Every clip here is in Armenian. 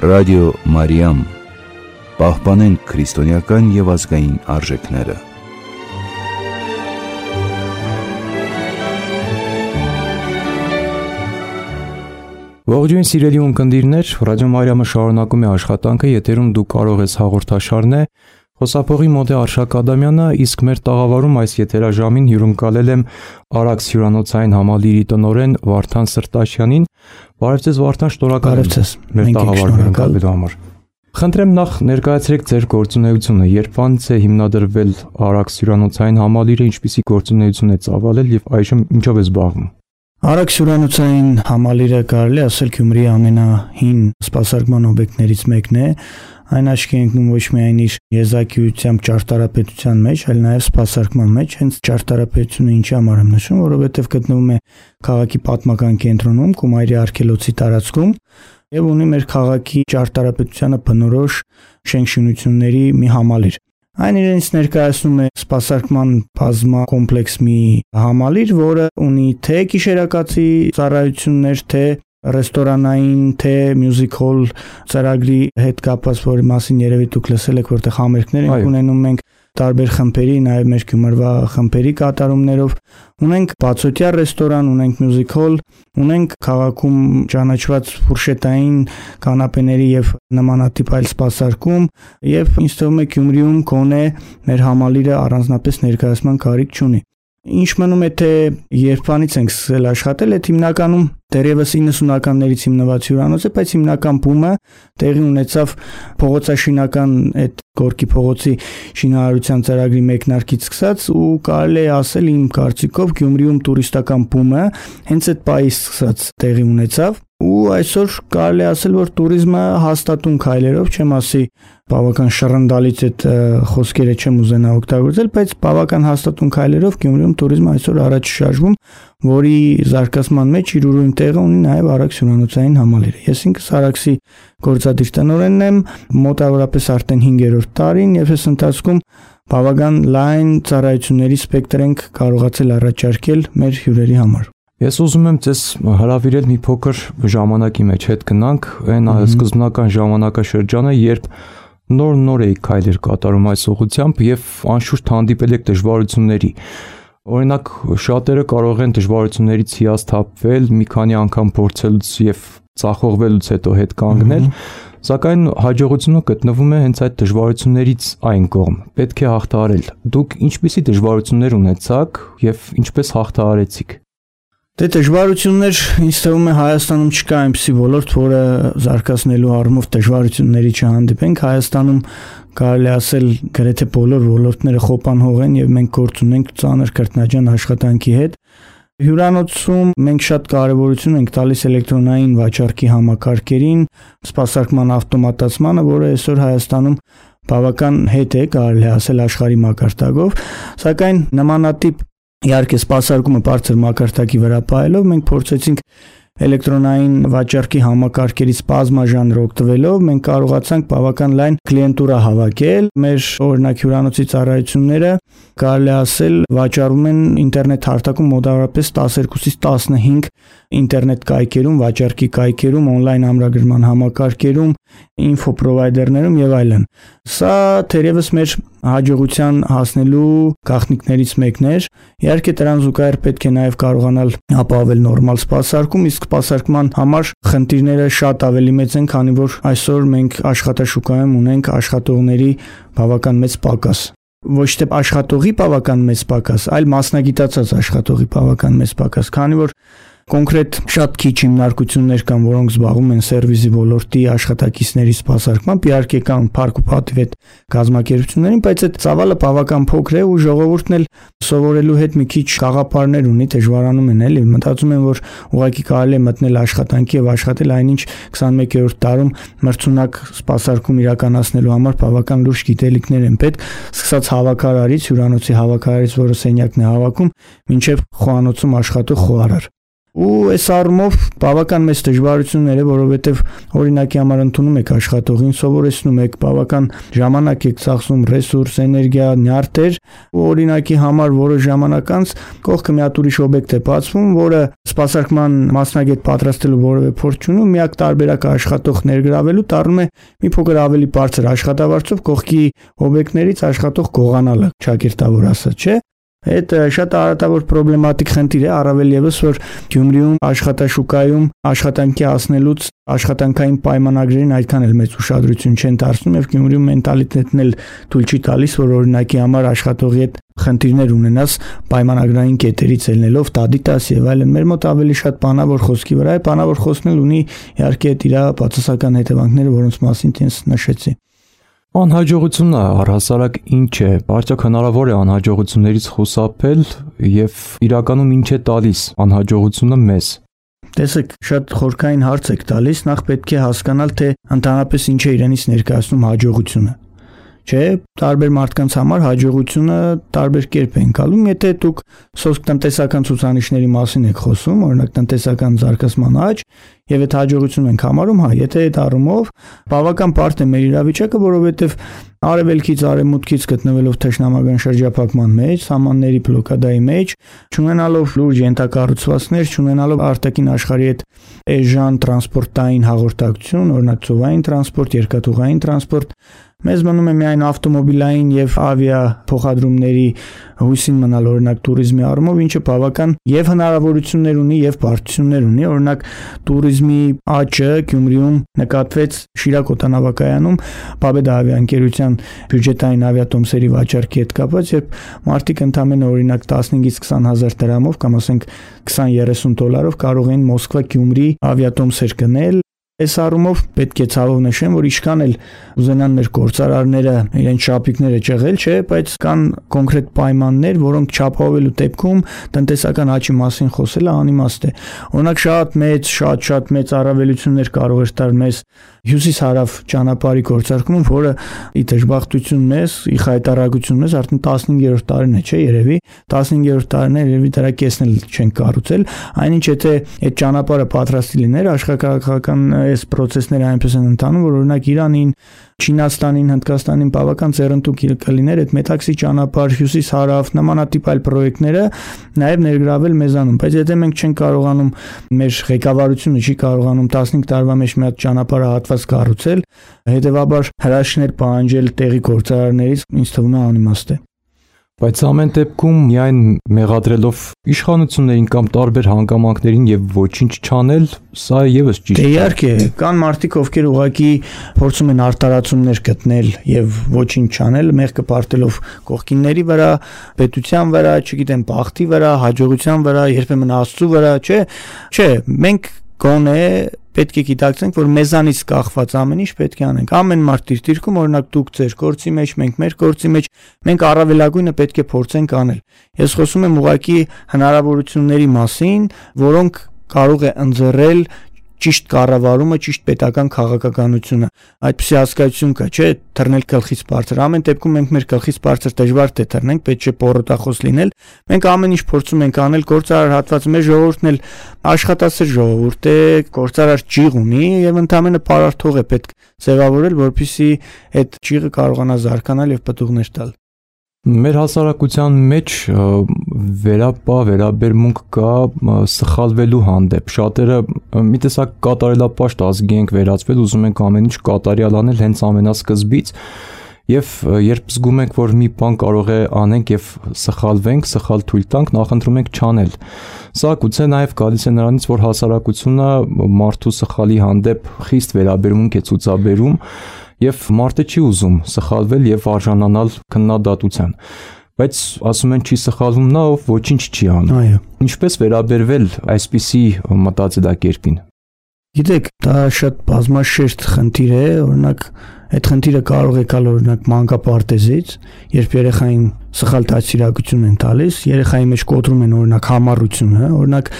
Ռադիո Մարիամ, պահպանենք քրիստոնեական և ազգային արժեքները։ Ողջույն սիրելի ունկնդիրներ, Ռադիո Մարիամը շարունակում է աշխատանքը, եթերում դու կարող ես հաղորդաշարն է, խոսափողի մոտ է Արշակ Ադամյանը, իսկ մեր տաղավարում այս եթերաժամին հյուրընկալել եմ Արաքս հյուրանոցային համալիրի տնօրեն Վարդան Սրտաշյանին։ Բարև ձեզ Վարդան, շնորհակալ եմ մեր տաղավարում հյուրընկալվելու համար։ Խնդրեմ նախ ներկայացրեք ձեր գործունեությունը, երբանց է հիմնադրվել Արաքս հյուրանոցային համալիրը, ինչպիսի գործունեություն է ծավալել և այժմ ինչով է զբաղվում։ Արաքս հյուրանոցային համալիրը կարելի ասել Գյումրիի ամենահին սպասարկման օբյեկտներից մեկն է, այն աչքի ընկնում ոչ միայն իր եզակիությամբ ճարտարապետության մեջ, այլ նաև սպասարկման մեջ, հենց ճարտարապետությունը ինչի համար եմ նշում, որովհետև գտնվում է քաղաքի պատմական կենտրոնում, Կումայրի արգելոցի տարածքում եւ ունի մեր քաղաքի ճարտարապետությանը բնորոշ շենքշինությունների մի համալիր։ Այն իրենից ներկայացնում է սպասարկման բազմակոմպլեքս մի համալիր, որը ունի թե գիշերակացի ծառայություններ, թե ռեստորանային, թե մյուզիկ հոլ ծրագրի հետ կապված, որի մասին երևի դուք լսել եք, որտեղ համերգներ ենք ունենում մենք տարբեր խմբերի, նաև մեր Գյումրվա խմբերի կատարումներով, ունենք բացօթյա ռեստորան, ունենք մյուզիկ հոլ, ունենք քաղաքում ճանաչված ֆուրշետային կանապեների եւ նմանատիպ այլ սպասարկում, եւ ինձ թվում է Գյումրիում գոնե մեր համալիրը առանձնապես ներկայացման կարիք չունի։ Ինչ մնում է թե երբանից ենք սկսել աշխատել, այդ հիմնականում դեռևս 90-ականներից հիմնված հյուրանոց է, բայց հիմնական բումը տեղի ունեցավ փողոցաշինական այդ Գորկի փողոցի շինարարության ծրագրի մեկնարկից սկսած ու կարելի է ասել իմ կարծիքով Գյումրիում տուրիստական բումը հենց այդ պահից սկսած տեղի ունեցավ ու այսօր կարելի ասել, որ туриզմը հաստատուն քայլերով, չեմ ասի բավական շռնդալից այդ խոսքերը չեմ ուզենա օգտագործել, բայց բավական հաստատուն քայլերով Գյումրիում туриզմը այսօր առաջ շարժվում, որի զարգացման մեջ իր ուրույն տեղը ունի նաև Արաքս հյուրանոցային համալիրը։ Ես ինքս Արաքսի գործադիր տնօրենն եմ, մոտավորապես արդեն 5-րդ տարին եւ այս ընթացքում բավական լայն ծառայությունների սպեկտր ենք կարողացել առաջարկել մեր հյուրերի համար։ Ես ուզում եմ ձեզ հրավիրել մի փոքր ժամանակի մեջ հետ գնանք, այն սկզբնական ժամանակաշրջանը, երբ նոր էի քայլեր կատարում այս ուղղությամբ եւ անշուշտ հանդիպել եք դժվարությունների։ Օրինակ, շատերը կարող են դժվարություններից հիասթափվել, մի քանի անգամ փորձելուց եւ ծախողվելուց հետո հետ կանգնել, սակայն հաջողությունը գտնվում է հենց այդ դժվարություններից այն կողմ։ Պետք է հաղթահարել։ Դուք ինչպիսի դժվարություններ ունեցաք եւ ինչպես հաղթահարեցիք։ Դե դժվարություններ ինձ թվում է Հայաստանում չկա այնպիսի ոլորտ, որը զարգացնելու առումով դժվարությունների չհանդիպենք։ Հայաստանում կարելի ասել գրեթե բոլոր ոլորտները խոպանհող են եւ մենք գործ ունենք ծանր քրտնաջան աշխատանքի հետ։ Հյուրանոցում մենք շատ կարևորություն ենք տալիս էլեկտրոնային վաճառքի համակարգերին, սպասարկման ավտոմատացմանը, որը այսօր Հայաստանում բավական հետ է, կարելի ասել աշխարհի մակարդակով, սակայն նմանատիպ իհարկե սպասարկումը բարձր մակարդակի վրա պահելով մենք փորձեցինք էլեկտրոնային վաճառքի համակարգերից բազմաժանր օգտվելով մենք կարողացանք բավական լայն կլիենտուրա հավաքել։ Մեր օրինակ հյուրանոցի ծառայությունները կարելի ասել վաճառում են ինտերնետ հարթակում մոտավորապես 12-ից 15 ինտերնետ կայքերում, վաճառքի կայքերում, on-line ամրագրման համակարգերում, ինֆո պրովայդերներում եւ այլն։ Սա թերևս մեր հաջողության հասնելու գաղտնիքներից մեկն էր։ Իհարկե դրան զուգահեռ պետք է նաև կարողանալ ապահովել նորմալ սպասարկում, իսկ սպասարկման համար խնդիրները շատ ավելի մեծ են, քանի որ այսօր մենք աշխատաշուկայում ունենք աշխատողների բավական մեծ պակաս։ Ոչ թե աշխատողի բավական մեծ պակաս, այլ մասնագիտացած աշխատողի բավական մեծ պակաս, քանի որ կոնկրետ շատ քիչ հիմնարկություններ կան, որոնք զբաղվում են սերվիսի ոլորտի աշխատակիցների սպասարկմամբ, իհարկե կան փառք ու պատիվ այդ կազմակերպություններին, բայց այդ ծավալը բավական փոքր է ու ժողովուրդն էլ սովորելու հետ մի քիչ գաղափարներ ունի, դժվարանում են էլի, մտածում են, որ ուղղակի կարելի է մտնել աշխատանքի եւ աշխատել այնինչ 21-րդ դարում մրցունակ սպասարկում իրականացնելու համար բավական լուրջ գիտելիքներ են պետք, սկսած հավաքարարից, հյուրանոցի հավաքարարից, որը սենյակն է հավաքում, մինչեւ խոհանոցում աշխատող խոհարար։ Ու այս առումով բավական մեծ դժվարություններ է, որովհետև օրինակի համար ընդունում եք աշխատողին, սովորեցնում եք, բավական ժամանակ եք ծախսում, ռեսուրս, էներգիա, նյարդեր, ու օրինակի համար որոշ ժամանակ անց կողքը մի հատ ուրիշ օբյեկտ է բացվում, որը սպասարկման մասնագետ պատրաստելու որևէ փորձ չունի, միակ տարբերակը աշխատող ներգրավելու դառնում է մի փոքր ավելի բարձր աշխատավարձով կողքի օբյեկտներից աշխատող գողանալը, ճակերտավոր ասած, չէ՞։ Այդ շատ արատավոր պրոբլեմատիկ խնդիր է, առավել եւս որ Գյումրիում աշխատաշուկայում աշխատանքի հասնելուց աշխատանքային պայմանագրերին այդքան էլ մեծ ուշադրություն չեն դարձնում եւ Գյումրիում մենտալիտետն էլ թույլ չի տալիս, որ օրինակի համար աշխատողի հետ խնդիրներ ունենաս պայմանագրային կետերից ելնելով տադիտաս եւ այլն։ Մեր մոտ ավելի շատ բանավոր խոսքի վրա է, բանավոր խոսքն էլ ունի իհարկե այդ իր բացասական հետևանքները, որոնց մասին ես նշեցի։ Անհաջողությունը առհասարակ ինչ է, արդյոք հնարավոր է անհաջողություններից խուսափել եւ իրականում ինչ է տալիս անհաջողությունը մեզ։ Տեսեք, շատ խորքային հարց եք տալիս, նախ պետք է հասկանալ, թե ընդհանրապես ինչ է իրենից ներկայացնում հաջողությունը։ Չէ, տարբեր մարդկանց համար հաջողությունը տարբեր կերպ է ընկալում, եթե դուք սոցիալ-տնտեսական ցուցանիշների մասին եք խոսում, օրինակ տնտեսական զարգացման աճ, եւ այդ հաջողություն ենք համարում, եթե այդ առումով բավական բարդ է մեր իրավիճակը, որովհետեւ արևելքից արևմուտքից գտնվելով թշնամական շրջափակման մեջ, սահմանների բլոկադայի մեջ, չունենալով լուրջ ենթակառուցվածքներ, չունենալով արտաքին աշխարհի հետ էժան տրանսպորտային հաղորդակցություն, օրինակ ծովային տրանսպորտ, երկաթուղային տրանսպորտ, մեզ մնում է միայն ավտոմոբիլային եւ ավիա փոխադրումների հույսին մնալ, օրինակ туриզմի առումով, ինչը բավական եւ հնարավորություններ ունի եւ բարդություններ ունի, օրինակ туриզմի աճը Գյումրիում նկատվեց Շիրակ օդանավակայանում Победа ավիաընկերության բյուջետային ավիատոմսերի վաճառքի հետ կապված, երբ մարդիկ ընդամենը օրինակ 15-ից 20,000 դրամով կամ ասենք 20-30 դոլարով կարող էին Մոսկվա Գյումրի ավիատոմսեր գնել։ Այս առումով պետք է ցավով նշեմ, որ ինչքան էլ ուզենան մեր գործարարները իրենց շապիկները ճեղել, չէ, բայց կան կոնկրետ պայմաններ, որոնք չապահովելու դեպքում տնտեսական աճի մասին խոսելը անիմաստ է։ Օրինակ շատ մեծ առավելություններ կարող էր տալ մեզ հյուսիս-հարավ ճանապարհի գործարկումը, որը ի դժբախտություն մեզ, ի խայտարակություն մեզ արդեն 15-րդ տարին է, չէ, երևի 15-րդ տարին է, երևի դրա կեսն էլ չեն կառուցել, այնինչ եթե այդ ճանապարհը պատրաստի լիներ, աշխարհակաղակական այս process-ները այնպես են ընթանում, որ օրինակ Իրանին, Չինաստանին, Հնդկաստանին բավական ծերընտու կլիներ այդ մետաքսի ճանապարհ, հյուսիս-հարավ, նմանատիպ այլ պրոյեկտները նաև ներգրավել մեզանում, բայց եթե մենք չենք կարողանում, մեր ղեկավարությունը չի կարողանում 15 տարվա մեջ մի հատ ճանապարհահատված կառուցել, հետեւաբար հրաշքներ պահանջել տեղի գործարարներից ինձ թվում է անիմաստ է։ Բայց ամեն դեպքում միայն մեղադրելով իշխանություններին կամ տարբեր հանգամանքներին եւ ոչինչ չանել, սա եւս ճիշտ է։ Իհարկե, կան մարդիկ, ովքեր ուղղակի փորձում են արտարացումներ գտնել եւ ոչինչ չանել, մեղքը պարտելով կողքինների վրա, պետության վրա, չգիտեմ, բախտի վրա, հաջողության վրա, երբեմն Աստծո վրա, չէ, մենք գոնե պետք է գիտակցենք, որ մեզանից կախված ամեն ինչ պետք է անենք։ Ամեն մարդ իր դիրքում, օրինակ դուք ձեր գործի մեջ, մենք մեր գործի մեջ, մենք առավելագույնը պետք է փորձենք անել։ Ես խոսում եմ ուղղակի հնարավորությունների մասին, որոնք կարող է ընձեռել ճիշտ կառավարումը, ճիշտ պետական քաղաքականությունը։ Այդպիսի հասկացություն կա, չէ՞, թռնել գլխից բարձր։ Ամեն դեպքում մենք մեր գլխից բարձր դժվար թե թռնենք, պետք չէ պորոտախոս լինել։ Մենք ամեն ինչ փորձում ենք անել, գործարար հատվածը մեր ժողովուրդն էլ աշխատասեր ժողովուրդ է, գործարար ճիղ ունի եւ ընդհանրապես պարարթող է պետք ձևավորել, որպեսզի այդ ճիղը կարողանա զարգանալ եւ պտուղներ տալ։ Մեր հասարակության մեջ վերաբերմունք կա սխալվելու հանդեպ։ Շատերը մի տեսակ կատարելապաշտ ազգի ենք վերածվել, ուզում ենք ամեն ինչ կատարյալ անել հենց ամենասկզբից, եւ երբ զգում ենք, որ մի բան կարող է անենք եւ սխալվենք, սխալ թույլ տանք, նախընտրում ենք չանել։ Սա գուցե նաեւ գալիս է նրանից, որ հասարակությունը մարդու սխալի հանդեպ խիստ վերաբերմունք է ցուցաբերում եւ մարդը չի ուզում սխալվել եւ արժանանալ քննադատության, բայց ասում են չի սխալվում նա, ով ոչինչ չի անում։ Այո։ Ինչպես վերաբերվել այսպիսի մտածելակերպին։ Գիտեք, դա շատ բազմաշերտ խնդիր է, օրինակ այդ խնդիրը կարող է գալ օրինակ մանկապարտեզից, երբ երեխային սխալ դաստիարակություն են տալիս, երեխայի մեջ կոտրում են օրինակ համառությունը, օրինակ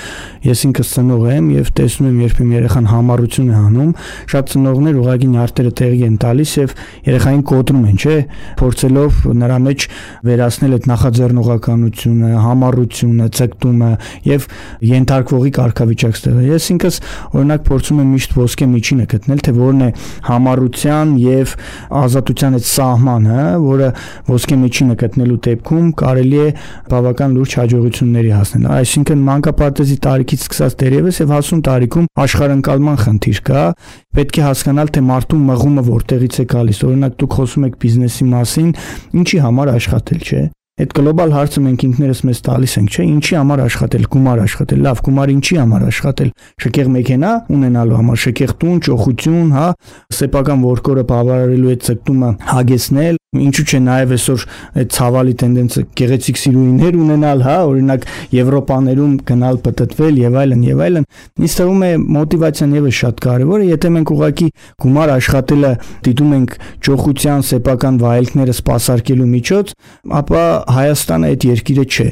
ես ինքս ծնող եմ եւ տեսնում եմ երբեմն երեխան համառություն է անում, շատ ծնողներ ուղղակի նյարդերը տեղի են տալիս եւ երեխային կոտրում են, չէ, փորձելով նրա մեջ վերացնել այդ նախաձեռնողականությունը, համառությունը, ցկտումը եւ ենթարկվողի կարգավիճակ ստեղծել։ Ես ինքս օրինակ փորձում եմ միշտ ոսկե միջինը գտնել, թե որն է համառության եւ ազատության այդ սահմանը, որը ոսկե միջինը գտնելու դեպքում կարելի է բավական լուրջ հաջողությունների հասնել։ Այսինքն մանկապարտեզի տարիքից սկսած դերևս եւ հասուն տարիքում աշխարհընկալման խնդիր կա, պետք է հասկանալ, թե մարդու մղումը որտեղից է գալիս։ Օրինակ դուք խոսում եք բիզնեսի մասին, ինչի համար աշխատել, չէ՞։ Այդ գլոբալ հարցը մենք ինքներս մեզ տալիս ենք, չէ՞, ինչի համար աշխատել, գումար աշխատել, լավ, գումար ինչի համար աշխատել, շքեղ մեքենա ունենալու համար, շքեղ տուն, ճոխություն, հա, սեփական ворկորը բավարարելու այդ ցկտումը հագեցնել, ինչու՞ չէ նաև այսօր այդ ցավալի տենդենսը գեղեցիկ սիրուհիներ ունենալ, հա, օրինակ Եվրոպաներում գնալ պտտվել եւ այլն եւ այլն։ Ինձ թվում է մոտիվացիան եւս շատ կարեւոր է, եթե մենք ուղղակի գումար աշխատելը դիտում ենք ճոխության, սեփական վայելքները սպասարկելու միջոց, ապա Հայաստանը այդ երկիրը չէ։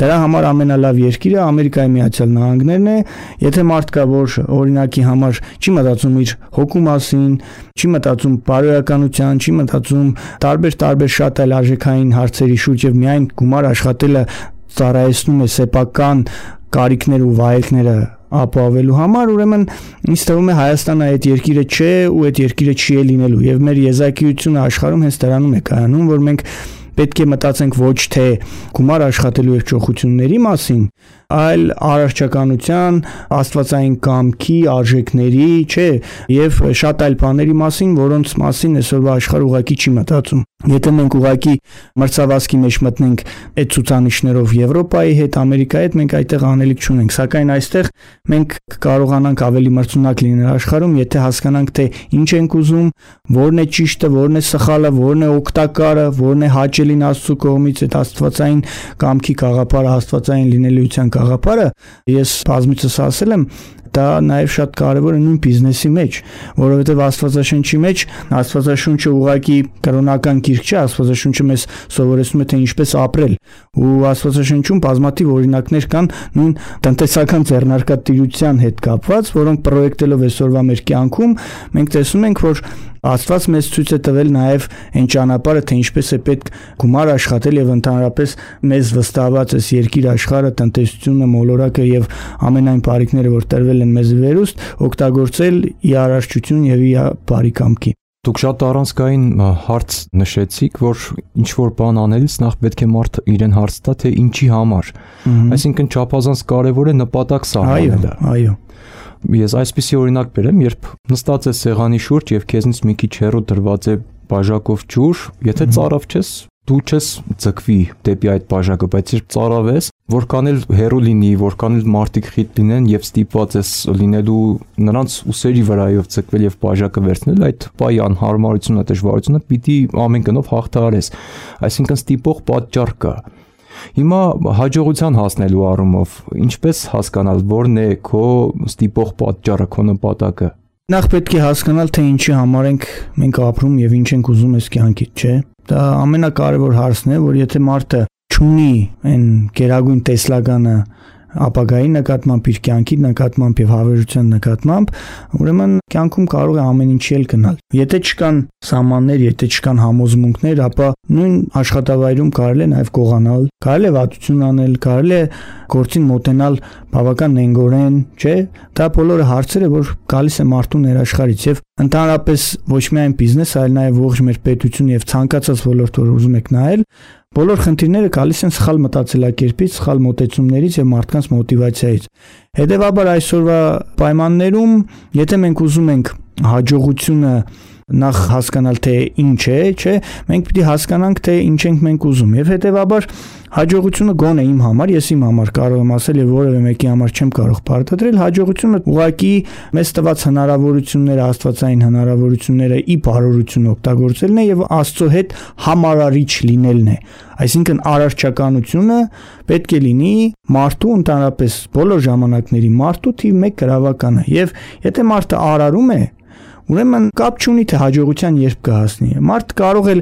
Դրա համար ամենալավ երկիրը Ամերիկայի Միացյալ Նահանգներն է, եթե մարդ կա, որ օրինակի համար չի մտածում իր հոգու մասին, չի մտածում բարոյականության, չի մտածում տարբեր շատ այլ արժեքային հարցերի շուրջ եւ միայն գումար աշխատելը ծառայեցնում է սեփական կարիքներ ու վայելքները ապահովելու համար, ուրեմն ինձ թվում է Հայաստանը այդ երկիրը չէ ու այդ երկիրը չի լինելու եւ մեր եզակիությունը աշխարհում հենց դրանում է կայանում, որ մենք պետք է մտածենք ոչ թե գումար աշխատելու եւ ճոխությունների մասին, այլ առարչականության, աստվածային կամքի, արժեքների, չէ, եւ շատ այլ բաների մասին, որոնց մասին այսօրվա աշխարհը ուղղակի չի մտածում։ Եթե մենք ուղղակի մրցավազքի մեջ մտնենք այդ ցուցանիշներով Եվրոպայի հետ, Ամերիկայի հետ, մենք այդտեղ անելիք չունենք, սակայն այստեղ մենք կարողանանք ավելի մրցունակ լինել աշխարհում, եթե հասկանանք, թե ինչ ենք ուզում, որն է ճիշտը, որն է սխալը, որն է օգտակարը, որն է հաճելին Աստծո կողմից, այդ աստվածային կամքի գաղափարը, աստվածային լինելիության գաղափարը, ես բազմիցս ասել եմ, դա նաև շատ կարևոր է նույն բիզնեսի մեջ, որովհետև Աստվածաշնչի մեջ Աստվածաշունչը ուղղակի կրոնական գիրք չէ, Աստվածաշունչը մեզ սովորեցնում է թե ինչպես ապրել, ու Աստվածաշնչում բազմաթիվ օրինակներ կան նույն տնտեսական ձեռնարկատիրության հետ կապված, որոնք պրոյեկտելով այսօրվա մեր կյանքում մենք տեսնում ենք, որ Աստված մեզ ցույց է տվել նաև այն ճանապարհը, թե ինչպես է պետք գումար աշխատել եւ ընդհանրապես մեզ վստահված այս երկիր աշխարհը, տնտեսությունը, մոլորակը եւ ամենայն բարիքները, որ տրվել են մեզ վերուստ, օգտագործել ի առարչություն եւ ի բարի կամքի։ Դուք շատ առանցքային հարց նշեցիք, որ ինչ որ բան անելիս նախ պետք է մարդը իրեն հարց տա, թե ինչի համար։ Այսինքն չափազանց կարևոր է նպատակ սահմանելը։ Այո։ Ես այսպիսի օրինակ բերեմ, երբ նստած ես սեղանի շուրջ եւ քեզնից մի քիչ հեռու դրված է բաժակով ջուր, եթե ծարավ չես, դու չես ձգվի դեպի այդ բաժակը, բայց երբ ծարավ ես, որքան էլ հեռու լինի, որքան էլ մարդիկ խիտ լինեն եւ ստիպված ես լինելու նրանց ուսերի վրայով ձգվել եւ բաժակը վերցնել, այդ պայի անհարմարությունը, դժվարությունը պիտի ամեն կնով հաղթահարես։ Այսինքն ստիպող պատճառ կա։ Հիմա հաջողության հասնելու առումով ինչպես հասկանալ, որն է քո ստիպող պատճառը, քո նպատակը։ Նախ պետք է հասկանալ, թե ինչի համար ենք մենք ապրում եւ ինչ ենք ուզում այս կյանքից, չէ՞։ Դա ամենակարևոր հարցն է, որ եթե մարդը չունի այն գերագույն տեսլականը ապագայի նկատմամբ, իր կյանքի նկատմամբ եւ հավերժության նկատմամբ, ուրեմն կյանքում կարող է ամեն ինչի էլ գնալ։ Եթե չկան սահմաններ, եթե չկան համոզմունքներ, ապա նույն աշխատավայրում կարելի է նաեւ գողանալ, կարելի է վատություն անել, կարելի է գործին մոտենալ բավական նենգորեն, չէ՞։ Դա բոլորը հարցեր է, որ գալիս է մարդու ներաշխարից եւ ընդհանրապես ոչ միայն բիզնես, այլ նաեւ ողջ մեր պետություն եւ ցանկացած ոլորտ, որ ուզում եք նայել, բոլոր խնդիրները գալիս են սխալ մտածելակերպից, սխալ մոտեցումներից եւ մարդկանց մոտիվացիայից։ Հետևաբար այսօրվա պայմաններում, եթե մենք ուզում ենք հաջողությունը նախ հասկանալ, թե ինչ է, չէ, մենք պիտի հասկանանք, թե ինչ ենք մենք ուզում եւ հետեւաբար հաջողությունը գոնե իմ համար, ես իմ համար կարող եմ ասել եւ որևէ մեկի համար չեմ կարող պարտադրել, հաջողությունը ուղղակի մեզ տված հնարավորությունները, աստվածային հնարավորությունները ի բարօրություն օգտագործելն է եւ Աստծո հետ համարարիչ լինելն է։ Այսինքն առարչականությունը պետք է լինի մարդու ընդհանրապես բոլոր ժամանակների մարդու թիվ 1 գրավականը եւ եթե մարդը արարում է ուրեմն կապ չունի թե հաջողության երբ կհասնի։ Մարդ կարող է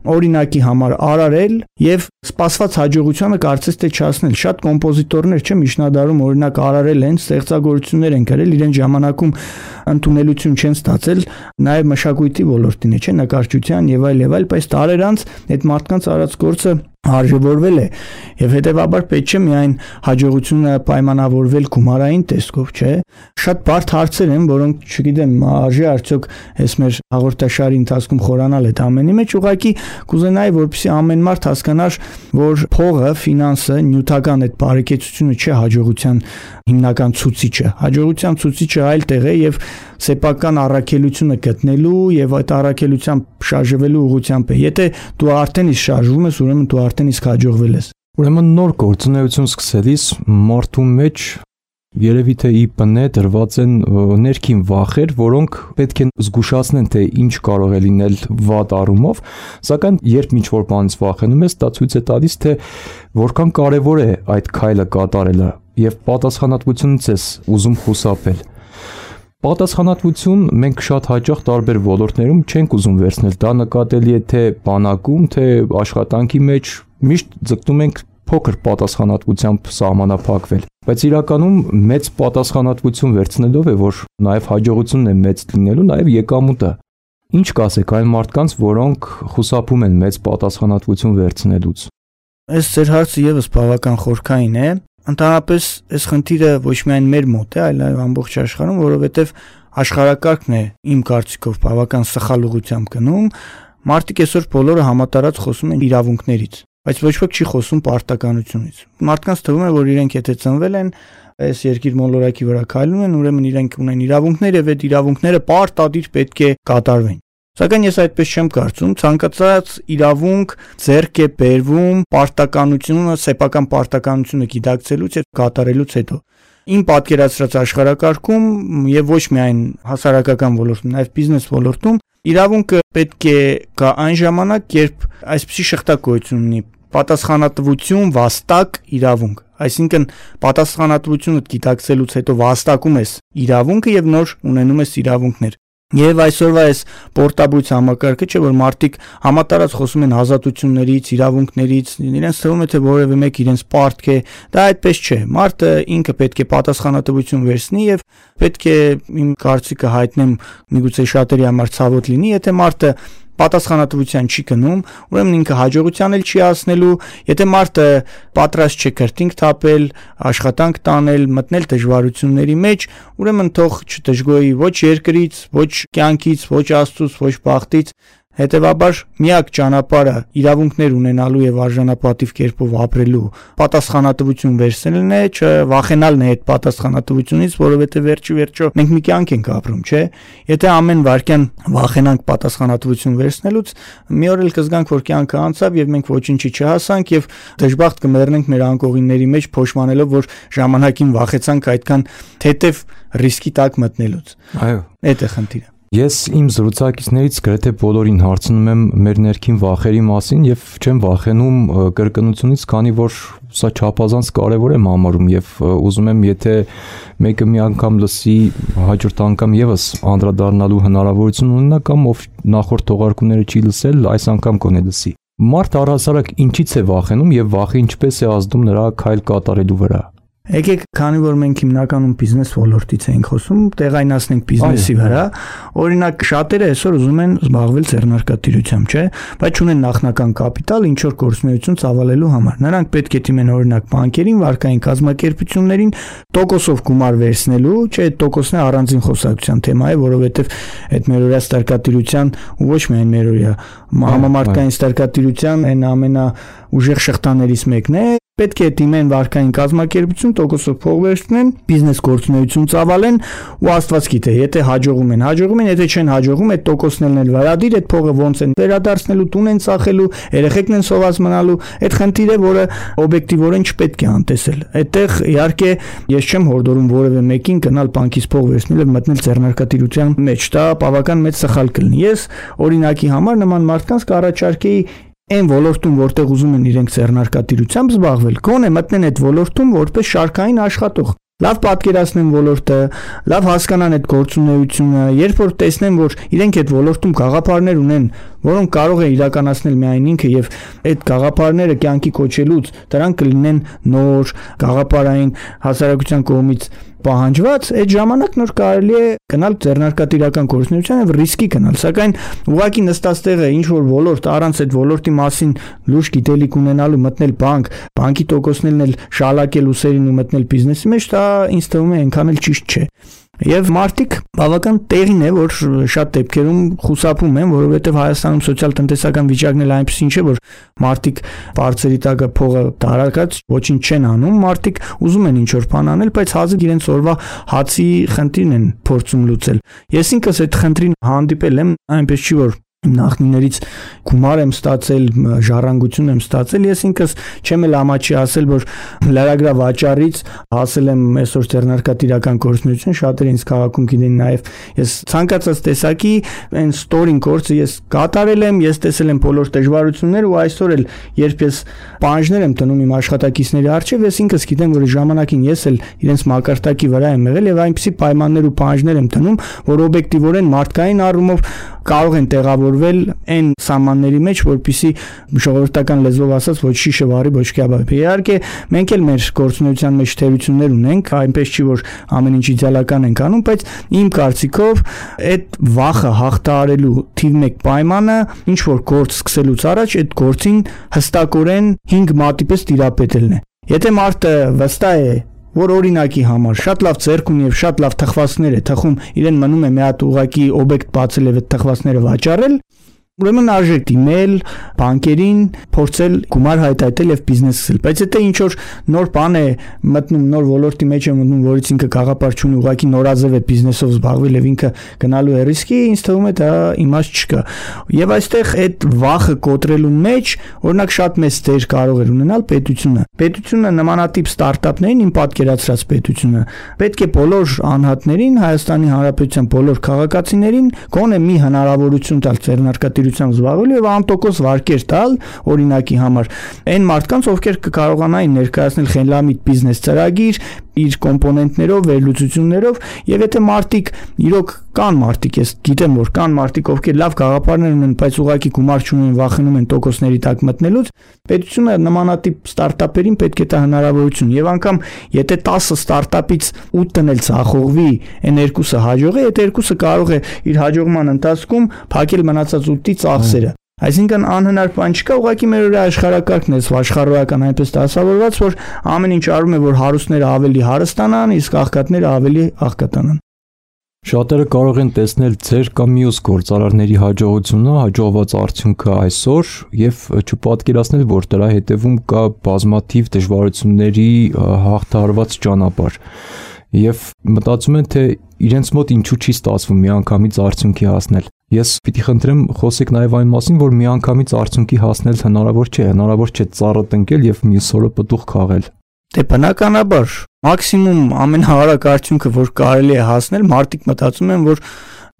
օրինակի համար արարել եւ սպասված հաջողությանը կարծես թե չհասնել։ Շատ կոմպոզիտորներ միջնադարում օրինակ արարել են, ստեղծագործություններ են գրել, իրեն ժամանակում ընդունելություն չեն ստացել, նաեւ մշակույթի ոլորտին է, նկարչության եւ այլ, բայց տարեր անց այդ մարդկանց արած գործը արժևորվել է եւ հետեւաբար պետք չէ միայն հաջողությունը պայմանավորվել գումարային տեսքով, չէ։ Շատ բարդ հարցեր են, որոնք չգիտեմ, արժե արդյոք այս մեր հաղորդաշարի ընթացքում խորանալ այդ ամենի մեջ, ուղղակի կուզենայի, որպեսզի ամեն մարդ հասկանար, որ փողը, ֆինանսը, նյութական այդ բարեկեցությունը չէ հաջողության հիմնական ցուցիչը։ Հաջողության ցուցիչը այլ տեղ է եւ սեփական առաքելությունը գտնելու եւ այդ առաքելությամբ շարժվելու ուղղությամբ է։ Եթե դու արդեն իսկ շարժվում ես, ուրեմն դու արդեն իսկ հաջողվել ես։ Ուրեմն նոր գործունեություն սկսելիս մարդու մեջ երևի թե ի բնե դրված են ներքին վախեր, որոնք պետք է զգուշացնեն, թե ինչ կարող է լինել վատ առումով, սակայն երբ ինչ-որ բանից վախենում ես, դա ցույց է տալիս, թե որքան կարևոր է այդ քայլը կատարելը եւ պատասխանատվությունից ես ուզում խուսափել։ Պատասխանատվություն մենք շատ հաճախ տարբեր ոլորտներում չենք ուզում վերցնել, դա նկատելի է թե բանակում, թե աշխատանքի մեջ, միշտ ձգտում ենք փոքր պատասխանատվությամբ սահմանափակվել, բայց իրականում մեծ պատասխանատվություն վերցնելով է, որ նաև հաջողությունն է մեծ լինելու, նաև եկամուտը։ Ինչ կասեք այն մարդկանց, որոնք խուսափում են մեծ պատասխանատվություն վերցնելուց։ Այս ձեր հարցը եւս բավական խորքային է։ Ընդհանրապես այս խնդիրը ոչ միայն մեր մոտ է, այլ ամբողջ աշխարհում, որովհետև աշխարհակարգն է իմ կարծիքով բավական սխալ ուղղությամբ գնում։ Մարդիկ այսօր բոլորը համատարած խոսում են իրավունքներից, բայց ոչ ոք չի խոսում պարտականությունից։ Մարդկանց թվում է, որ իրենք եթե ծնվել են այս երկիր մոլորակի վրա քայլում են, ուրեմն իրենք ունեն իրավունքներ եւ այդ իրավունքները պարտադիր պետք է կատարվեն։ Սակայն ես այդպես չեմ կարծում, ցանկացած իրավունք ձեռք է բերվում պարտականությունը, սեփական պարտականությունը գիտակցելուց եւ կատարելուց հետո։ Իմ պատկերացրած աշխարհակարգում եւ ոչ միայն հասարակական ոլորտում, նաեւ բիզնես ոլորտում իրավունքը պետք է գա այն ժամանակ, երբ այսպիսի շղթակոյություն ունի պատասխանատվություն, վաստակ, իրավունք։ Այսինքն պատասխանատվությունը գիտակցելուց հետո վաստակում ես իրավունքը եւ նոր ունենում ես իրավունքներ։ Եվ այսօրվա այս պորտաբույց համակարգը չէ, որ մարդիկ համատարած խոսում են ազատություններից, իրավունքներից, իրենց թվում է թե որևէ մեկ իրենց պարտք է, դա այդպես չէ։ Մարդը ինքը պետք է պատասխանատվություն վերցնի եւ պետք է իմ կարծիքը հայտնեմ, միգուցե շատերի համար ցավոտ լինի, եթե մարդը պատասխանատվության չի գնում, ուրեմն ինքը հաջողության էլ չի հասնելու, եթե մարդը պատրաստ չէ քրտինք թափել, աշխատանք տանել, մտնել դժվարությունների մեջ, ուրեմն թող չդժգոհի ոչ երկրից, ոչ կյանքից, ոչ Աստծուց, ոչ բախտից, հետևաբար միակ ճանապարհը իրավունքներ ունենալու եւ արժանապատիվ կերպով ապրելու պատասխանատվություն վերցնելն է, չվախենալն է այդ պատասխանատվությունից, որովհետեւ վերջիվերջո մենք մի կյանք ենք ապրում, չէ՞։ Եթե ամեն վարքյան վախենանք պատասխանատվություն վերցնելուց, մի օր էլ կզգանք, որ կյանքը անցավ եւ մենք ոչինչի չհասանք եւ դժբախտ կմեռնենք մեր անկողինների մեջ փոշմանելով, որ ժամանակին վախեցանք այդքան թեթև ռիսկի տակ մտնելուց։ Այո, այդ է խնդիրը։ Ես իմ զրուցակիցներից գրեթե բոլորին հարցնում եմ մեր ներքին վախերի մասին եւ չեմ վախենում կրկնությունից, քանի որ սա չափազանց կարեւոր եմ համարում եւ ուզում եմ, եթե մեկը մի անգամ լսի, հաջորդ անգամ եւս անդրադառնալու հնարավորություն ունենա, կամ ով նախորդ թողարկումները չի լսել, այս անգամ կոնե լսի։ Մարդ առհասարակ ինչից է վախենում եւ վախը ինչպես է ազդում նրա քայլ կատարելու վրա։ Եկեք, քանի որ մենք հիմնականում բիզնես ոլորտից ենք խոսում, տեղայնացնենք բիզնեսի վրա, օրինակ շատերը այսօր ուզում են զբաղվել ձեռնարկատիրությամբ, չէ՞, բայց չունեն նախնական կապիտալ ինչ որ գործունեություն ծավալելու համար։ Նրանք պետք է դիմեն օրինակ բանկերին, վարկային կազմակերպություններին տոկոսով գումար վերցնելու, չէ՞, այդ տոկոսն է առանձին խոսակցության թեմա է, որովհետև այդ մերօրյա ստարկատիրության ու ոչ միայն մերօրյա համամարտկային ստարկատիրության այն ամենաուժեղ շղթաներից մեկն է։ Պետք է դիմեն վարկային կազմակերպություն, տոկոսով փող վերցնեն, բիզնես գործունեություն ծավալեն ու Աստված գիտե, եթե հաջողում են, եթե չեն հաջողում, այդ տոկոսներն էլ վարադիր, այդ փողը ոնց են վերադարձնելու, տուն են ծախելու, երեխեքն են սոված մնալու, այդ խնդիրը, որը օբյեկտիվորեն չպետք է անտեսել։ Այդտեղ իհարկե ես չեմ հորդորում որևէ մեկին գնալ բանկից փող վերցնել եւ մտնել ձեռնարկատիրության մեջ, դա բավական մեծ սխալ կլինի։ Ես օրինակի համար նման մարդկանց կառաջարկեի այն ոլորտում, որտեղ ուզում են իրենք ձեռնարկատիրությամբ զբաղվել, գոնե մտնեն այդ ոլորտում որպես շարքային աշխատող։ լավ պատկերացնեն ոլորտը, լավ հասկանան այդ գործունեությունը, երբ որ տեսնեն, որ իրենք այդ ոլորտում գաղափարներ ունեն, որոնք կարող է իրականացնել միայն ինքը եւ այդ գաղափարները կյանքի կոչելուց դրանք կլինեն նոր գաղափարային հասարակության կողմից պահանջված, այդ ժամանակ նոր կարելի է գնալ ձեռնարկատիրական գործունեության եւ ռիսկի գնալ, սակայն ուղղակի նստած տեղը ինչ որ ոլորտ առանց այդ ոլորտի մասին լուրջ գիտելիք ունենալու մտնել բանկի տոկոսներն էլ շալակել ուսերին ու մտնել բիզնեսի մեջ, դա ինձ թվում է այնքան էլ ճիշտ չէ։ Եվ մարդիկ բավական տեղին է, որ շատ դեպքերում խուսափում են, որովհետև Հայաստանում սոցիալ-տնտեսական վիճակն էլ այնպեսին չէ, որ մարդիկ բարձրի տակը փողը տարակած ոչինչ չեն անում, մարդիկ ուզում են ինչ-որ բան անել, բայց հազիվ իրենց օրվա հացի խնդիրն են փորձում լուծել։ Ես ինքս այդ խնդրին հանդիպել եմ, այնպես չի որ նախնիներից գումար եմ ստացել, ժառանգություն եմ ստացել, ես ինքս չեմ էլ ամաչի ասել, որ լրագրավաճառից հասել եմ այսօր ձեռնարկատիրական գործունեություն, շատերը ինձ քաղաքում գիտեն նաև ես ցանկացած տեսակի այն ստորին գործը ես կատարել եմ, ես տեսել եմ բոլոր դժվարությունները ու այսօր էլ երբ ես պահանջներ եմ տնում իմ աշխատակիցների առջև, ես ինքս գիտեմ, որ ժամանակին ես էլ իրենց մակարդակի վրա եմ եղել եւ այնպիսի պայմաններ ու պահանջներ եմ տնում, որ օբյեկտիվորեն մարդկային առումով կարող են տեղավորվել այն սահմանների մեջ, որպեսզի ժողովրդական լեզվով ասած ոչ շիշը վարի, ոչ կյաբաբի։ Իհարկե, մենք էլ մեր գործունեության մեջ թերություններ ունենք, այնպես չի որ ամեն ինչ իդեալական ենք անում, բայց իմ կարծիքով այդ վախը հաղթահարելու թիվ 1 պայմանը ինչ որ գործ սկսելուց առաջ այդ գործին հստակորեն 5 մատի պես տիրապետելն է։ Եթե մարդը վստահ է որ օրինակի համար շատ լավ ձեռք ունի եւ շատ լավ թխվածքներ է թխում, իրեն մնում է մի հատ ուղակի օբյեկտ բացել եւ այդ թխվածքները վաճառել, ուրեմն արժեք դիմել բանկերին, փորձել գումար հայտարարել եւ բիզնես սկսել։ Բայց եթե ինչ որ նոր բան է մտնում, նոր ոլորտի մեջ է մտնում, որից ինքը գաղափար չունի, ուղղակի նորաձև է բիզնեսով զբաղվել եւ ինքը գնալու է ռիսկի, ինձ թվում է դա իմաստ չկա։ Եվ այստեղ այդ վախը կոտրելու մեջ, օրինակ շատ մեծ դեր կարող է ունենալ պետությունը։ Պետությունը նմանատիպ ստարտափներին, իմ պատկերացրած պետությունը, պետք է բոլոր անհատներին, Հայաստանի Հանրապետության բոլոր քաղաքացիներին գոնե մի հնարավորություն տալ ձեռնարկատիրությամբ զբաղվելու եւ անտոկոս վարկեր տալ օրինակի համար այն մարդկանց, ովքեր կկարողանային ներկայացնել խելամիտ բիզնես ծրագիր իր կոմպոնենտներով, վերլուծություններով եւ եթե մարդիկ իրոք կան մարդիկ, ես գիտեմ որ կան մարդիկ, ովքեր լավ գաղափարներ ունեն, բայց ուղղակի գումար չունեն, վախենում են տոկոսների տակ մտնելուց, պետությունը նմանատիպ ստարտափերին պետք է տա հնարավորություն եւ անգամ եթե 10 ստարտափից 8-ն էլ ցախողվի, այն երկուսը հաջողի, այդ երկուսը կարող է իր հաջողման ընթացքում փակել մնացած 8-ի ծախսերը։ Այսինքն անհնար բան չկա, ուղղակի մեր օրը աշխարհակարգն է աշխարհական այնպես դասավորված, որ ամեն ինչ արում է, որ հարուստները ավելի հարստանան, իսկ աղքատները ավելի աղքատանան։ Շատերը կարող են տեսնել ձեր կամ մյուս գործարարների հաջողությունը, հաջողված արդյունքը այսօր եւ չպատկերացնել, որ դրա հետևում կա բազմաթիվ դժվարությունների հաղթահարված ճանապարհ։ Եվ մտածում են, թե իրենց մոտ ինչու չի ստացվում միանգամից արդյունքի հասնել։ Ես պիտի խնդրեմ խոսեք նաև այն մասին, որ միանգամից արդյունքի հասնել հնարավոր չէ ծառը տնկել եւ մյուս օրը պտուղ քաղել։ Դե բնականաբար, մաքսիմում ամենահարակ արդյունքը, որ կարելի է հասնել, մարդիկ մտածում են, որ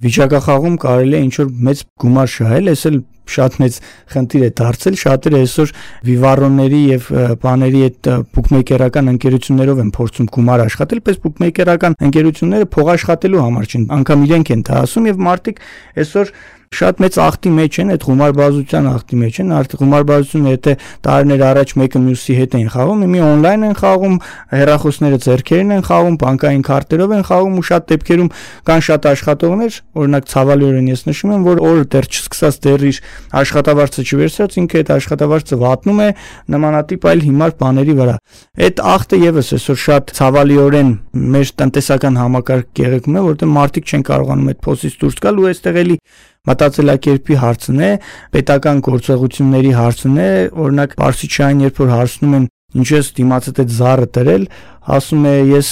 վիճակախաղում կարելի է ինչ-որ մեծ գումար շահել, ես էլ շատ մեծ խնդիր է դարձել, շատերը այսօր վիվարոնների եւ բաների այդ բուկմեյքերական ընկերություններով են փորձում գումար աշխատել, պես բուկմեյքերական ընկերությունները փող աշխատելու համար չեն, անգամ իրենք են դա ասում եւ մարդիկ այսօր շատ մեծ ախտի մեջ են, այդ գումարբազության ախտի մեջ են, արդեն գումարբազությունը եթե տարիներ առաջ մեկը մյուսի հետ են խաղում, մի օնլայն են խաղում, հեռախոսները ձեռքերին են խաղում, բանկային քարտերով են խաղում ու շատ դեպքերում կան շատ աշխատողներ, օրինակ ցավալիորեն ես նշում եմ, որ օրը դեռ չսկսած դեռ իր աշխատավարձը չվերցրած, ինքը այդ աշխատավարձը վատնում է նմանատիպ այլ հիմար բաների վրա։ Այդ ախտը եւս այսօր շատ ցավալիորեն մեր տնտեսական համակարգ գեղեցկում է, որտեղ մարդիկ չեն կարողանում այդ փոսից դուրս գալ ու այստեղ էլի մտածելակերպի հարցն է, պետական գործողությունների հարցն է, օրինակ Պարսիչյան երբ որ հարցնում են ինչու ես դիմացդ այդ զառը դրել, ասում է ես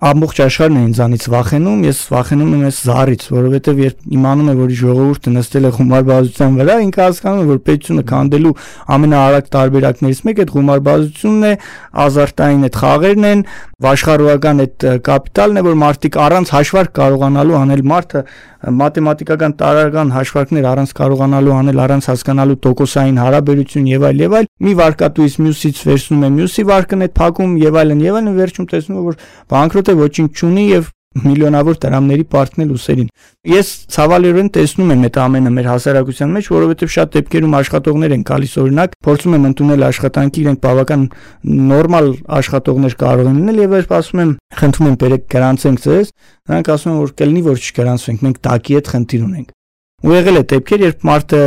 ամբողջ աշխարհն է ինձանից վախենում, ես վախենում եմ այս զառից, որովհետև երբ իմանում եմ, որ ժողովուրդը նստել է խումարբազության վրա, ինքը հասկանում է, որ պետությունը քանդելու ամենաարագ տարբերակներից մեկը այդ խումարբազությունն է, ազարտային այդ խաղերն են, աշխարհական այդ կապիտալն է, որ մարդիկ առանց հաշվարկ կարողանալու անել մարդը մաթեմատիկական տարրական հաշվարկներ առանց կարողանալու անել, առանց հասկանալու տոկոսային հարաբերություն եւ այլ, մի վարկատուից մյուսից վերցնում է մյուսի վարկն է փակում եւ այլն, վերջում տեսնում է, որ բանկրոտ է, ոչինչ չունի եւ միլիոնավոր դրամների պարտնել ուսերին։ Ես ցավալիորեն տեսնում եմ այդ ամենը մեր հասարակության մեջ, որովհետև շատ դեպքերում աշխատողներ են գալիս, օրինակ, փորձում են ընդունել աշխատանքի, իրենք բավական նորմալ աշխատողներ կարող են լինել եւ երբ ասում եմ, խնդրում եմ բերեք գրանցենք ձեզ, նրանք ասում են, որ կլինի, որ չգրանցվենք, մենք տակի հետ խնդիր ունենք։ Ու եղել է դեպքեր, երբ մարդը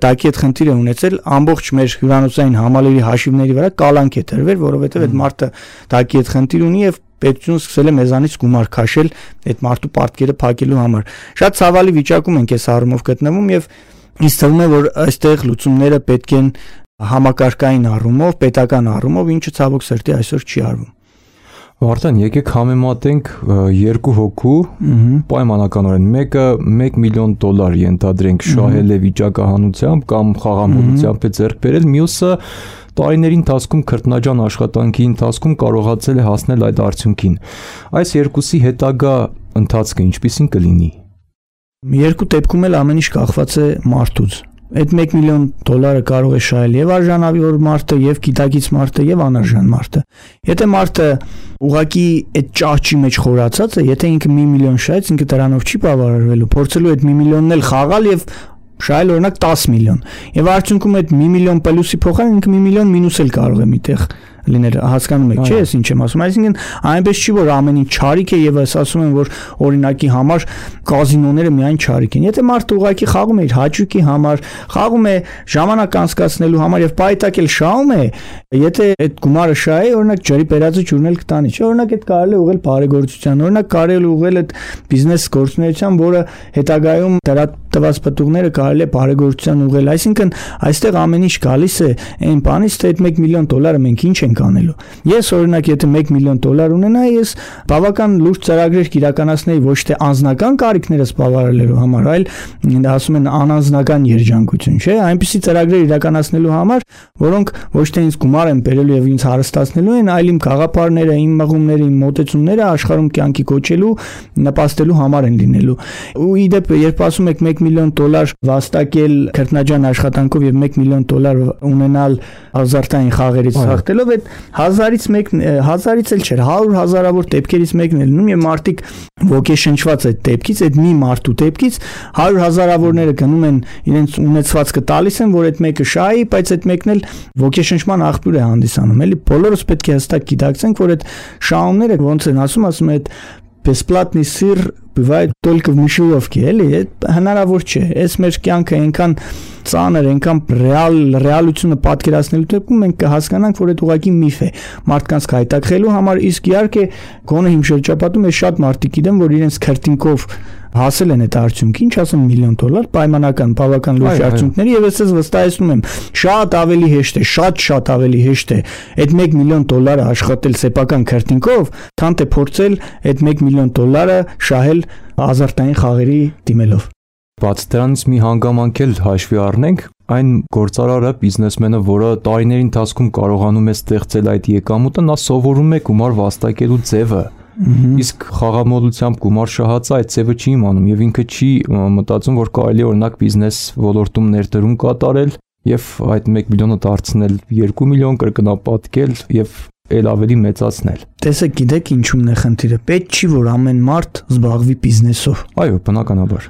տակի հետ խնդիր է ունեցել, ամբողջ մեր հյուրանոցային համալիրի հաշիվների վրա կալանք է տրվել, որովհետև այդ մարդը տակի հետ խնդիր ունի եւ պետությունը սկսել է մեզանից գումար քաշել այդ մարդու պարտքերը փակելու համար։ Շատ ցավալի վիճակում ենք այս առումով գտնվում եւ ինձ թվում է, որ այստեղ լուծումները պետք են համակարգային առումով, պետական առումով, ինչը ցավոք սրտի այսօր չի արվում։ Վարդան, եկեք համեմատենք երկու հոգու պայմանականորեն, մեկը $1 միլիոն ենթադրենք շահել է վիճակահանությամբ կամ խաղամոլությամբ է ձեռք բերել, մյուսը տարիների ընթացքում քրտնաջան աշխատանքի ընթացքում կարողացել է հասնել այդ արդյունքին։ Այս երկուսի հետագա ընթացքը ինչպիսին կլինի։ Երկու դեպքում էլ ամեն ինչ կախված է մարդուց։ Այդ $1 միլիոն կարող է շահել եւ արժանավոր մարդը, եւ գիտակից մարդը, եւ անարժան մարդը։ Եթե մարդը ուղակի այդ ճահճի մեջ խորացած է, եթե ինքը $1 միլիոն շահեց, ինքը դրանով չի բավարարվելու, փորձելու այդ $1 միլիոնն էլ խաղալ եւ շահել օրինակ 10 միլիոն։ Եվ արդյունքում այդ $1 միլիոն պլյուսի փոխարեն ինքը $1 միլիոն մինուս էլ կարող է միտեղ լինել, հասկանում եք, չէ՞, ես ինչ եմ ասում, այսինքն այնպես չի, որ ամեն ինչ չարիք է եւ ես ասում եմ, որ օրինակի համար կազինոները միայն չարիք են։ Եթե մարդը ուղակի խաղում է իր հաճույքի համար, խաղում է ժամանակ անցկացնելու համար եւ պայտակել շահում է, եթե այդ գումարը շահ է, օրինակ ջրի բերածը ջուրն էլ կտանի, չէ՞, օրինակ այդ կարելի է ուղղել բարեգործության, օրինակ կարելի է ուղղել այդ բիզնես գործունեության, որը հետագայում դրա տված պտուղները կարելի է բարեգործության ուղղել, այսինքն այստեղ ամեն ինչ գալիս է այն բանից, թե այդ $1 միլիոն մենք ինչ ենք անելու։ Ես օրինակ եթե $1 միլիոն ունենայի, ես բավական լուրջ ծրագրեր կիրականացնեի ոչ թե անձնական կարիքներս բավարարելու համար, այլ ասում են անանձնական երջանկություն, չէ՞, այնպիսի ծրագրեր իրականացնելու համար, որոնք ոչ թե ինձ գումար են բերելու եւ ինձ հարստացնելու են, այլ իմ գաղափարները, իմ մղումները, իմ մոտեցումները աշխարհում կյանքի կոչելու, նպաստելու համար են լինելու։ Ու իդեպ երբ ասում եք $1 միլիոն վաստակել քրտնաջան աշխատանքով եւ $1 միլիոն ունենալ ազարտային խաղերից հաղթելով, այդ 1000-ից էլ չէր, 100,000-ավոր դեպքերից մեկն է լինում եւ մարդիկ ոգեշնչված այդ դեպքից, այդ մի մարդու դեպքից 100,000-ավորները գնում են իրենց ունեցվածքը տալիս են, որ այդ մեկը շահի, բայց այդ մեկն էլ ոգեշնչման աղբյուր է հանդիսանում, էլի բոլորս պետք է հստակ գիտակցենք, որ այդ շահումները ոնց են ասում, այդ бесплатный сыр бывает только в мышеловке, էլի, հնարավոր չէ։ Այս մեր կյանքը այնքան ծանր, այնքան ռեալությունը պատկերացնելու դեպքում մենք կհասկանանք, որ այդ ուղղակի միֆ է մարդկանց հայտակղելու համար, իսկ իհարկե գոնե իմ շրջապատում է շատ մարդիկ գիտեմ, որ իրենց քրտինկով հասել են այդ արդյունքի, ինչ ասեմ $1 միլիոն, պայմանական, բավական լուրջ արդյունքների եւ ես վստահեցնում եմ, շատ ավելի հեշտ է, շատ ավելի հեշտ է այդ $1 միլիոն աշխատել սեփական քրտինկով, քան թե փորձել այդ $1 միլիոն շահել ազարտային խաղերի դիմելով։ Բաց դրանից մի հանգամանք էլ հաշվի առնենք, այն գործարարը, բիզնեսմենը, որը տարիների ընթացքում կարողանում է ստեղծել այդ եկամուտը, նա սովորում է գումար վաստակելու ձևը։ Իսկ խաղամոլությամբ գումար շահածը այդ ձևը չի իմանում եւ ինքը չի մտածում, որ կարելի է օրինակ բիզնես ոլորտում ներդրում կատարել եւ այդ $1 միլիոնը դարձնել 2 միլիոն, կրկնապատկել եւ էլ ավելի մեծացնել։ Տեսեք, գիտեք ինչու՞մն է խնդիրը։ Պետք չի, որ ամեն մարդ զբաղվի բիզնեսով։ Այո, բնականաբար։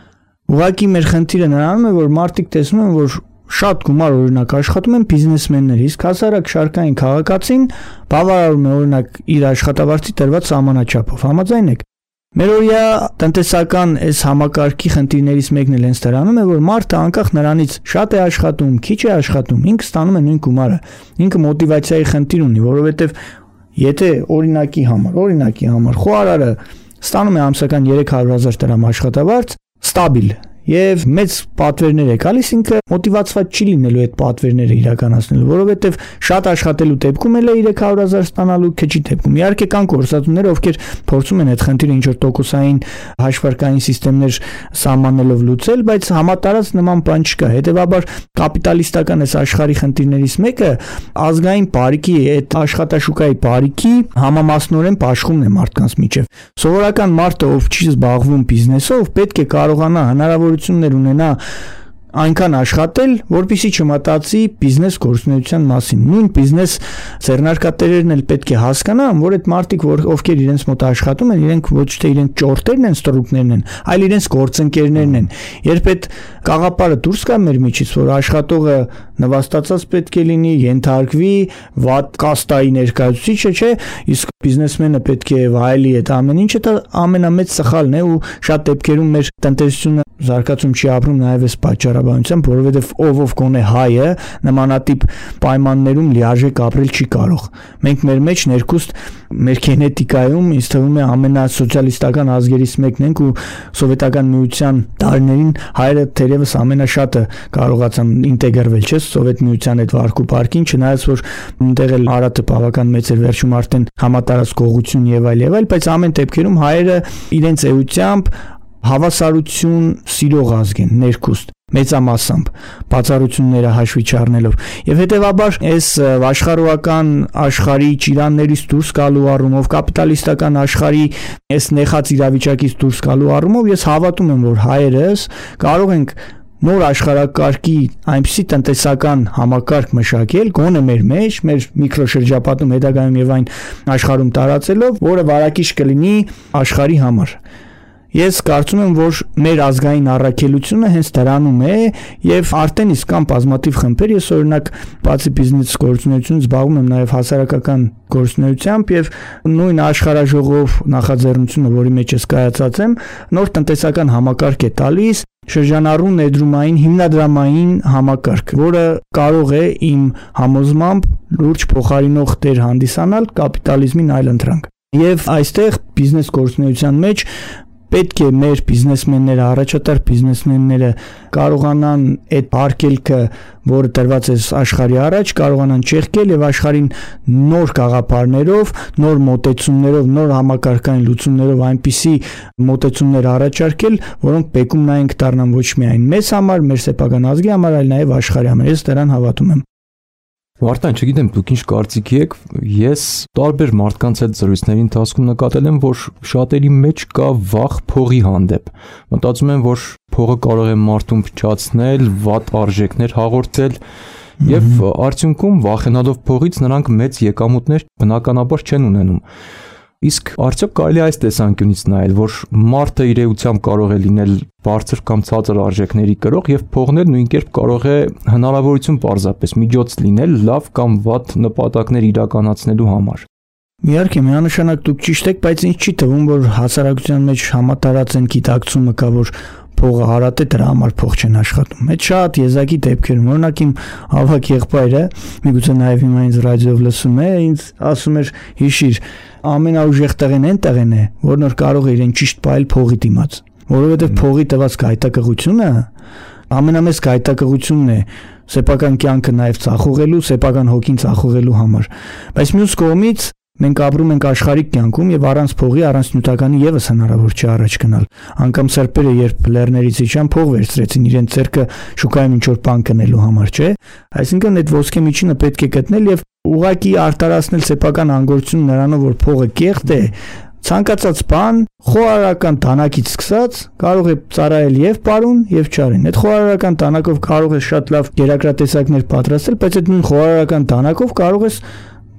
Ուղղակի մեր խնդիրը նրանում է, որ մարդիկ տեսնում են, որ շատ գումար օրինակ աշխատում են բիզնեսմենների, իսկ հասարակ շարքային քաղաքացին բավարարում է օրինակ իր աշխատավարձի տրված սահմանաչափով։ Համաձայն եք։ Մերօրյա տնտեսական այս համակարգի խնդիրներից մեկն էլ հենց դրանում է, որ մարդը անկախ նրանից շատ է աշխատում, քիչ է աշխատում, ինքը ստանում է նույն գումարը։ Ինքը մոտիվացիայի խնդիր ունի, որովհետև եթե օրինակի համար խոհարարը ստանում է ամսական 300,000 դրամ աշխատավարձ, ստաբիլ, եւ մեծ պատվերներ է գալիս, ինքը մոտիվացված չի լինելու այդ պատվերները իրականացնելու, որովհետեւ շատ աշխատելու դեպքում էլ է 300,000 ստանալու, քիչ դեպքում։ Իհարկե կան կորսածներ, ովքեր փորձում են այդ խնդիրը ինչ որ տոկոսային հաշվարկային համակարգեր սահմանելով լուծել, բայց համատարած նման բան չկա։ Հետևաբար կապիտալիստական այս աշխարհի խնդիրներից մեկը ազգային բարիքի, այդ աշխատաշուկայի բարիքի համամասնորեն բաշխումն է մարդկանց միջև։ Սովորական մարդը, ով չի զբաղվում բիզնեսով, պետք է կարողանա հնարավորություններ ունենա այնքան աշխատել, որպեսզի չմտածի բիզնես գործունեության մասին։ Նույն բիզնես ձեռնարկատերերն էլ պետք է հասկանան, որ այդ մարդիկ, ովքեր իրենց մոտ աշխատում են, իրենք ոչ թե իրենք ճորտերն են, ստրուկներն են, այլ իրենց գործընկերներն են։ Երբ այդ կաղապարը դուրս գա մեր միջից, որ աշխատողը նվաստացած պետք է լինի, ենթարկվի, վատ կաստայի ներկայացուցիչը, չէ, իսկ բիզնեսմենը պետք է վայելի այդ ամեն ինչը, դա ամենամեծ սխալն է ու շատ դեպքերում մեր տնտեսությունը զարգացում չի ապրում նաև այս պատճառաբանությամբ, որովհետև ով գոնե հայը նմանատիպ պայմաններում լիարժեք ապրել չի կարող։ Մենք մեր մեջ ներքուստ մեր գենետիկայում ինձ թվում է ամենասոցիալիստական ազգերից մեկն ենք ու սովետական միության տարիներին հայերը թերևս ամենաշատը կարողացան ինտեգրվել, չէ՞, Սովետ միության այդ վարկու պարկին, չնայած որ այնտեղ էլ Արարատը բավական մեծ էր, վերջում արդեն համատարած գողություն եւ այլ, բայց ամեն դեպքերում հայերը իրենց էությամբ հավասարություն սիրող ազգ են, ներքուստ մեծամասամբ բացառությունները հաշվի չառնելով եւ հետեւաբար այս աշխարհական աշխարհի ճիրաններից դուրս գալու առումով կապիտալիստական աշխարհի այս նեխած իրավիճակից դուրս գալու առումով ես հավատում եմ որ հայերս կարող ենք նոր աշխարհակարգի այնպիսի տնտեսական համակարգ մշակել գոնե մեր մեջ մեր միկրոշրջապատում հետագայում եւ այն աշխարհում տարածելով որը վարակիչ կլինի աշխարհի համար Ես կարծում եմ, որ մեր ազգային առաքելությունը հենց դրանում է եւ արդեն իսկ կան բազմաթիվ խմբեր, ես օրինակ բացի բիզնես գործունեությունից զբաղվում եմ նաեւ հասարակական գործունեությամբ եւ նույն աշխարհաժողով նախաձեռնությունը, որի մեջ ես կայացած եմ, նոր տնտեսական համակարգ է տալիս շրջանառու ներդրումային հիմնադրամային համակարգ, որը կարող է իմ համոզմամբ լուրջ փոխարինող դեր հանդիսանալ կապիտալիզմին այլընտրանք։ Եվ այստեղ բիզնես գործունեության մեջ պետք է մեր բիզնեսմենները, առաջատար բիզնեսմենները կարողանան այդ արկելքը, որը տրված է աշխարհի առաջ, կարողանան չեղկել եւ աշխարհին նոր գաղափարներով, նոր մոտեցումներով, նոր համակարգային լուծումներով այնպիսի մոտեցումներ առաջարկել, որոնք բեկում նայենք դառնան ոչ միայն մեզ համար, մեր սեփական ազգի համար, այլ նաեւ աշխարհի համար։ Ես դրան հավատում եմ։ Վարդան, չգիտեմ դուք ինչ կարծիքի եք, ես տարբեր մարդկանց հետ զրույցների ընթացքում նկատել եմ, որ շատերի մեջ կա վախ փողի հանդեպ։ Մտածում են, որ փողը կարող է մարդուն փչացնել, վատ արժեքներ հաղորդել, եւ արդյունքում վախենալով փողից նրանք մեծ եկամուտներ բնականաբար չեն ունենում։ Իսկ արդյոք կարելի է այս տեսանկյունից նայել, որ մարդը իր էությամբ կարող է լինել բարձր կամ ցածր արժեքների կրող եւ փողն էլ նույն կերպ կարող է հնարավորություն պարզապես միջոց լինել լավ կամ վատ նպատակներ իրականացնելու համար։ Իհարկե, միանշանակ դուք ճիշտ եք, բայց ինձ չի թվում, որ հասարակության մեջ համատարած են գիտակցումը կա, որ փողը հարատ է, դրա համար փող չեն աշխատում։ Այդ շատ եզակի դեպքերում, օրինակ իմ ավակ եղբայրը, միգուցե նաև հիմա ինձ ռադիոյով լսում է, ինձ ասում էր՝ հիշիր, ամենաուժեղ տեղն այն տեղն է, որ նոր կարող է իրեն ճիշտ պահել փողի դիմաց, որովհետև փողի տված գայթակղությունը ամենամեծ գայթակղությունն է սեփական կյանքը նաև ծախողելու, սեփական հոգին ծախողելու համար։ Բայց մյուս կողմից մենք ապրում ենք աշխարհիկ կյանքում եւ առանց փողի, առանց նյութականի եւս հնարավոր չի առաջ գնալ։ Անկամ սրբերը երբ լեռներից իջան փող վերցրեցին իրենց ձեռքը շուկայում ինչ որ բան կնելու համար, չէ՞։ Այսինքն այդ ոսկե միջինը պետք է գտնել եւ ուղղակի արտարացնել սեփական անգործություն նրանով, որ փողը կեղտ է, ցանկացած բան խոհարարական տանակից սկսած կարող է ծառայել եւ պարուն եւ չարին։ Այդ խոհարարական տանակով կարող է շատ լավ գերակրատեսակներ պատրաստել, բայց այդ նույն խոհարարական տանակով կարող է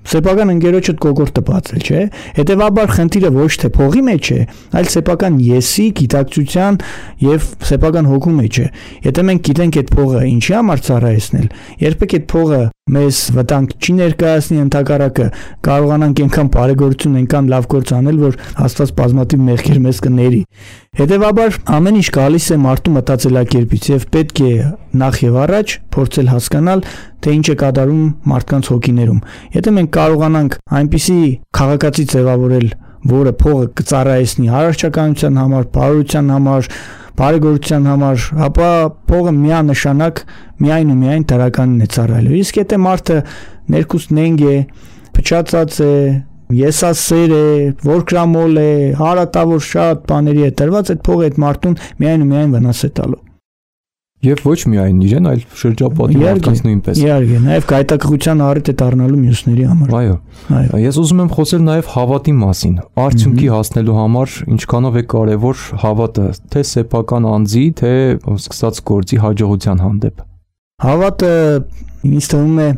սեփական ընկերոջդ կոկորտը բացել, չէ՞։ Հետևաբար խնդիրը ոչ թե փողի մեջ է, այլ սեփական եսի, գիտակցության եւ սեփական հոգու մեջ է։ Եթե մենք գիտենք այդ փողը ինչի համար ծառայեցնել, երբեք այդ փողը մեզ վտանգ չի ներկայացնի, ընդհակառակը կարողանանք այնքան բարեգործություն, այնքան լավ գործ անել, որ Աստված բազմաթիվ մեղքեր մեզ կների։ Հետևաբար ամեն ինչ գալիս է մարդու մտածելակերպից եւ պետք է նախ եւ առաջ փորձել հասկանալ, թե ինչ է կատարում մարդկանց հոգիներում։ Եթե մենք կարողանանք այնպիսի քաղաքացի ձևավորել, որը փողը կծառայեցնի առողջականության համար, բարօրության համար, բարեգործության համար, ապա փողը միանշանակ միայն ու միայն դրականին է ծառայելու։ Իսկ եթե մարդը ներքուստ նենգ է, փչացած է, եսասեր է, որկրամոլ է, հարատավոր շատ բաների է տրված, այդ փողը այդ մարդուն միայն ու միայն վնաս է տալու։ Եվ ոչ միայն իրեն, այլ շրջապատի մարդկանց նույնպես։ Իհարկե, նաև գայթակղության առիթ է դառնալու մյուսների համար։ Այո։ Ես ուզում եմ խոսել նաև հավատի մասին։ Արդյունքի հասնելու համար ինչքանով է կարևոր հավատը, թե սեփական անձի, թե սկսած գործի հաջողության հանդեպ։ Հավատը ինձ թվում է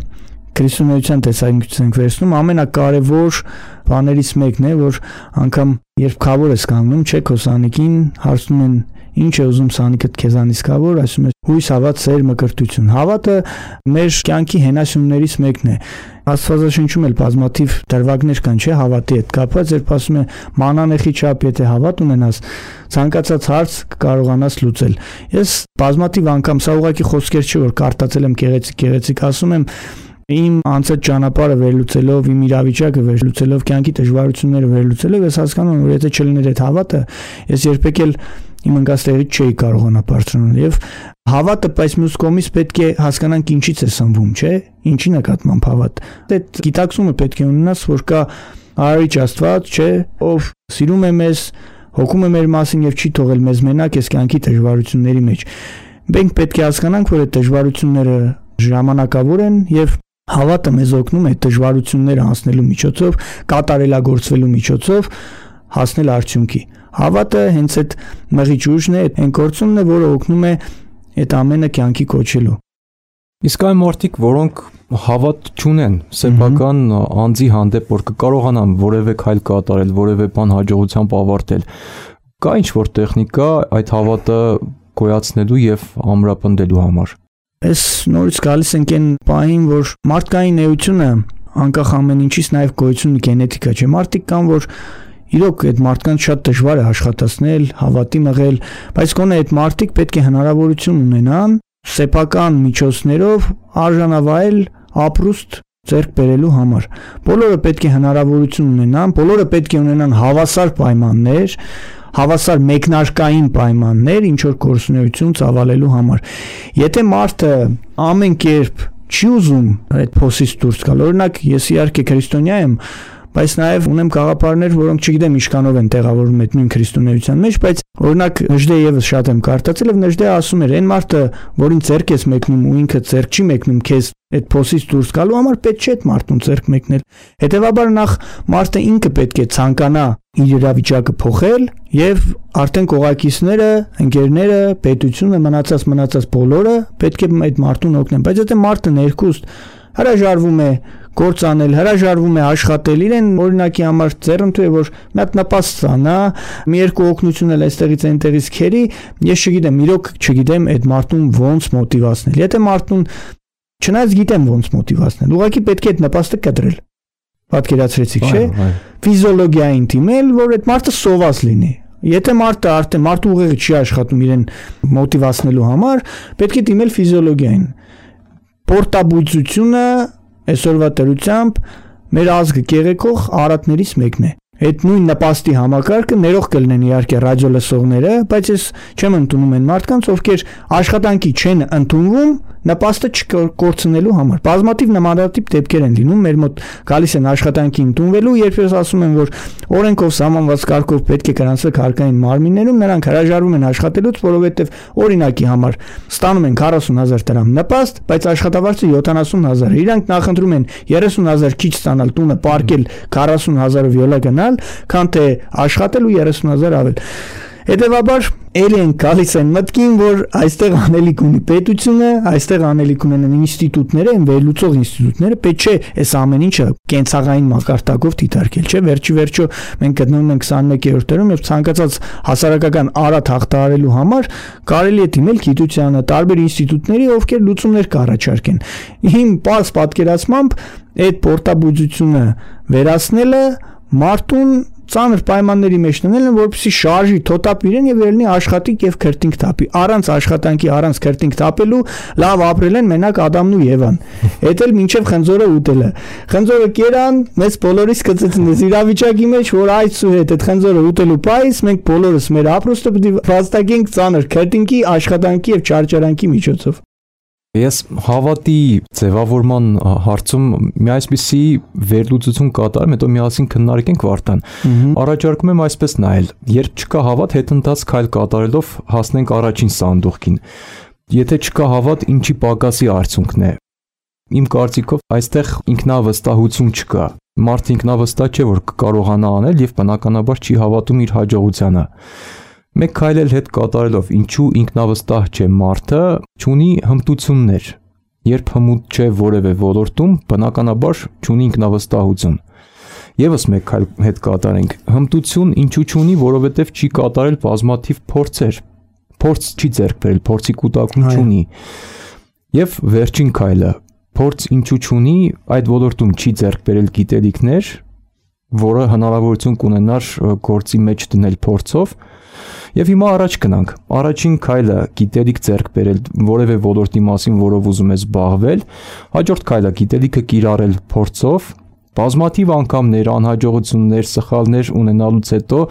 քրիստոնեության տեսանկյունից վերցնում ամենակարևոր բաներից մեկն է, որ անգամ երբ քավոր ես կանգնում, չէ, քո սանիկին հարցնում են ինչ է ուզում սանիկդ քեզանից կավոր, ասում է հույս, հավատ, սեր, մկրտություն։ Հավատը մեր կյանքի հենասյուներից մեկն է։ Աստվածաշնչում էլ բազմաթիվ դրվագներ կան, չէ, հավատի հետ կապված, երբ ասում է մանանեխի չափ եթե հավատ ունենաս, ցանկացած հարց կարողանաս լուծել։ Ես բազմաթիվ անգամ սա ուղղակի խոսքեր չէ, որ կարտացել եմ գեղեցիկ, ասում եմ իմ անցած ճանապարհը վերլուծելով, իմ իրավիճակը վերլուծելով, կյանքի դժվարությունները վերլուծելով, ես հասկանում եմ, որ եթե չլիներ այդ հավատը, ես երբեք էլ իմ ընկածներից չէի կարողանա բարձրանալ եւ հավատը բայց մյուս կողմից պետք է հասկանանք ինչից է սնվում, չէ՞, ինչի նկատմամբ հավատ։ Այդ գիտակցումը պետք է ունենաս, որ կա Արարիչ Աստված, չէ, ով սիրում է մեզ, հոգում է մեր մասին եւ չի թողել մեզ մենակ այս կյանքի դժվարությունների մեջ։ Մենք պետք է հասկանանք, որ այդ դժվարությունները ժամանակավոր են եւ հավատը մեզ օգնում է դժվարությունները անցնելու միջոցով, կատարելագործվելու միջոցով հասնել արդյունքի։ Հավատը հենց այդ մղիչ ուժն է, այն գործոնն է, որը օգնում է այդ ամենը կյանքի կոչելու։ Իսկ այն մարդիկ, որոնք հավատ չունեն սեփական անձի հանդեպ, որ կկարողանան որևէ քայլ կատարել, որևէ բան հաջողությամբ ավարտել, կա ինչ-որ տեխնիկա այդ հավատը գոյացնելու եւ ամրապնդելու համար։ Այս նորից գալիս ենք այն պահին, որ մարդկային էությունը անկախ ամեն ինչից նաև գոյություն գենետիկա չէ։ Մարդիկ կան, որ իրոք այդ մարդկանց շատ դժվար է աշխատացնել, հավատի մղել, բայց գոնե այդ մարդիկ պետք է հնարավորություն ունենան սեփական միջոցներով արժանավայել ապրուստ ձեռք բերելու համար։ Բոլորը պետք է հնարավորություն ունենան, բոլորը պետք է ունենան հավասար պայմաններ, հավասար մեկնարկային պայմաններ, ինչ որ գործունեություն ծավալելու համար։ Եթե մարդը ամեն կերպ չի ուզում այդ փոսից դուրս գալ, օրինակ ես իհարկե քրիստոնյա եմ, բայց նաև ունեմ գաղափարներ, որոնք չգիտեմ ինչքանով են տեղավորվում այդ նույն քրիստոնեության մեջ, բայց օրինակ Նժդե եւս շատ եմ կարդացել եւ Նժդե ասում էր, այն մարդը, որին ձեռք ես մեկնում ու ինքը ձեռք չի մեկնում քեզ այդ փոսից դուրս գալու համար, պետք չէ այդ մարդուն ձեռք մեկնել։ Հետևաբար նախ մարդը ինքը պետք է ցանկանա իր իրավիճակը փոխել եւ արդեն կողակիցները, ընկերները, պետությունը, մնացած բոլորը պետք է այդ մարդուն օգնեն, բայց եթե մարդը ներքուստ հրաժարվում է գործ անել, հրաժարվում է աշխատել, իրեն օրինակի համար ձեռնտու է, որ մի հատ նպաստ ստանա, մի երկու օգնություն էլ այստեղից այնտեղից քերի, ես չգիտեմ, իրոք չգիտեմ այդ մարդուն ոնց մոտիվացնել։ Եթե մարդուն չնայած գիտեմ ոնց մոտիվացնել, ուղղակի պետք է այդ նպաստը կտրել։ Պատկերացրեցիք, չէ՞։ Ֆիզիոլոգիային թիմել, որ այդ մարդը սոված լինի։ Եթե մարդը արդեն մարդու ուղեղը չի աշխատում իրեն մոտիվացնելու համար, պետք է դիմել ֆիզիոլոգիային։ Պորտաբույծությունը այսօրվա դրությամբ մեր ազգը կեղեքող արատներից մեկն է։ Այդ նույն նպաստի համակարգը ներող կլինեն իհարկե ռադիո լսողները, բայց ես չեմ ընդունում այն մարդկանց, ովքեր աշխատանքի չեն ընդունվում նպաստը չկորցնելու համար։ Բազմաթիվ նմանատիպ դեպքեր են լինում, մեր մոտ գալիս են աշխատանքի ընդունվելու, երբ ես ասում եմ, որ օրենքով սահմանված կարգով պետք է գրանցվի հարկային մարմիններում, նրանք հրաժարվում են աշխատելուց, որովհետև օրինակի համար ստանում են 40,000 դրամ նպաստ, բայց աշխատավարձը 70,000 է։ Իրանք նախընտրում են 30,000 քիչ ստանալ, տունը պարկել 40,000-ով յոլա գնալ, քան թե աշխատել ու 30,000 ավել։ Հետևաբար ելի են գալիս այն մտքին, որ այստեղ անելիք ունի պետությունը, այստեղ անելիք ունեն ինստիտուտները, այն վերլուծող ինստիտուտները, պետք չէ այս ամեն ինչը կենցաղային մակարդակով դիտարկել, չէ՞։ Վերջիվերջո մենք գտնվում ենք 21-րդ դարում եւ ցանկացած հասարակական արատ հաղթահարելու համար կարելի է դիմել գիտությանը, տարբեր ինստիտուտների, ովքեր լուծումներ կառաջարկեն։ Իմ պարզ պատկերացմամբ այդ պորտաբույծությունը վերացնելը մարդուն ծանր պայմանների մեջ դնել են, որպեսզի շարժի, թոթափ իրեն եւ ելնի աշխատիկ եւ քրտինք թափի։ Առանց աշխատանքի, առանց քրտինք թափելու լավ ապրել են մենակ Ադամն ու Եվան։ Էդ էլ մինչեւ խնձորը ուտելը։ Խնձորը կերան, մեծ բոլորիս կծեցին իրավիճակի մեջ, որ այցու հետ այդ խնձորը ուտելու պայս մենք բոլորս մեր ապրոստը պետք է վաստակենք ծանր քրտինքի, աշխատանքի եւ չարչարանքի միջոցով։ Ես հավատի ձևավորման հարցում մի այսպիսի վերլուծություն կատարեմ, հետո միասին քննարկենք Վարդան։ Առաջարկում եմ այսպես նայել. երբ չկա հավատ, հետընթաց քայլ կատարելով հասնենք առաջին սանդուղքին։ Եթե չկա հավատ, ինչի պակասի արդյունքն է։ Իմ կարծիքով այստեղ ինքնավստահություն չկա։ Մարդը ինքնավստահ չէ, որ կկարողանա անել եւ բնականաբար չի հավատում իր հաջողությանը։ Մեկ քայլ էլ հետ կատարելով, ինչու ինքնավստահ չէ մարդը, չունի հմտություններ։ Երբ հմուտ չէ որևէ ոլորտում, բնականաբար չունի ինքնավստահություն։ Եվս մեկ քայլ հետ կատարենք։ Հմտություն ինչու չունի, որովհետև չի կատարել բազմաթիվ փորձեր։ Փորձ չի ձեռք բերել, փորձի կուտակում չունի։ Եվ վերջին քայլը, փորձ ինչու չունի, այդ ոլորտում չի ձեռք բերել գիտելիքներ, որը հնարավորություն կունենար գործի մեջ դնել փորձով։ Եվ հիմա առաջ գնանք։ Առաջին քայլը գիտելիք ձեռք բերել որևէ ոլորտի մասին, որով ուզում ես զբաղվել, հաջորդ քայլը գիտելիքը կիրառել փորձով, բազմաթիվ անգամներ, անհաջողություններ, սխալներ ունենալուց հետո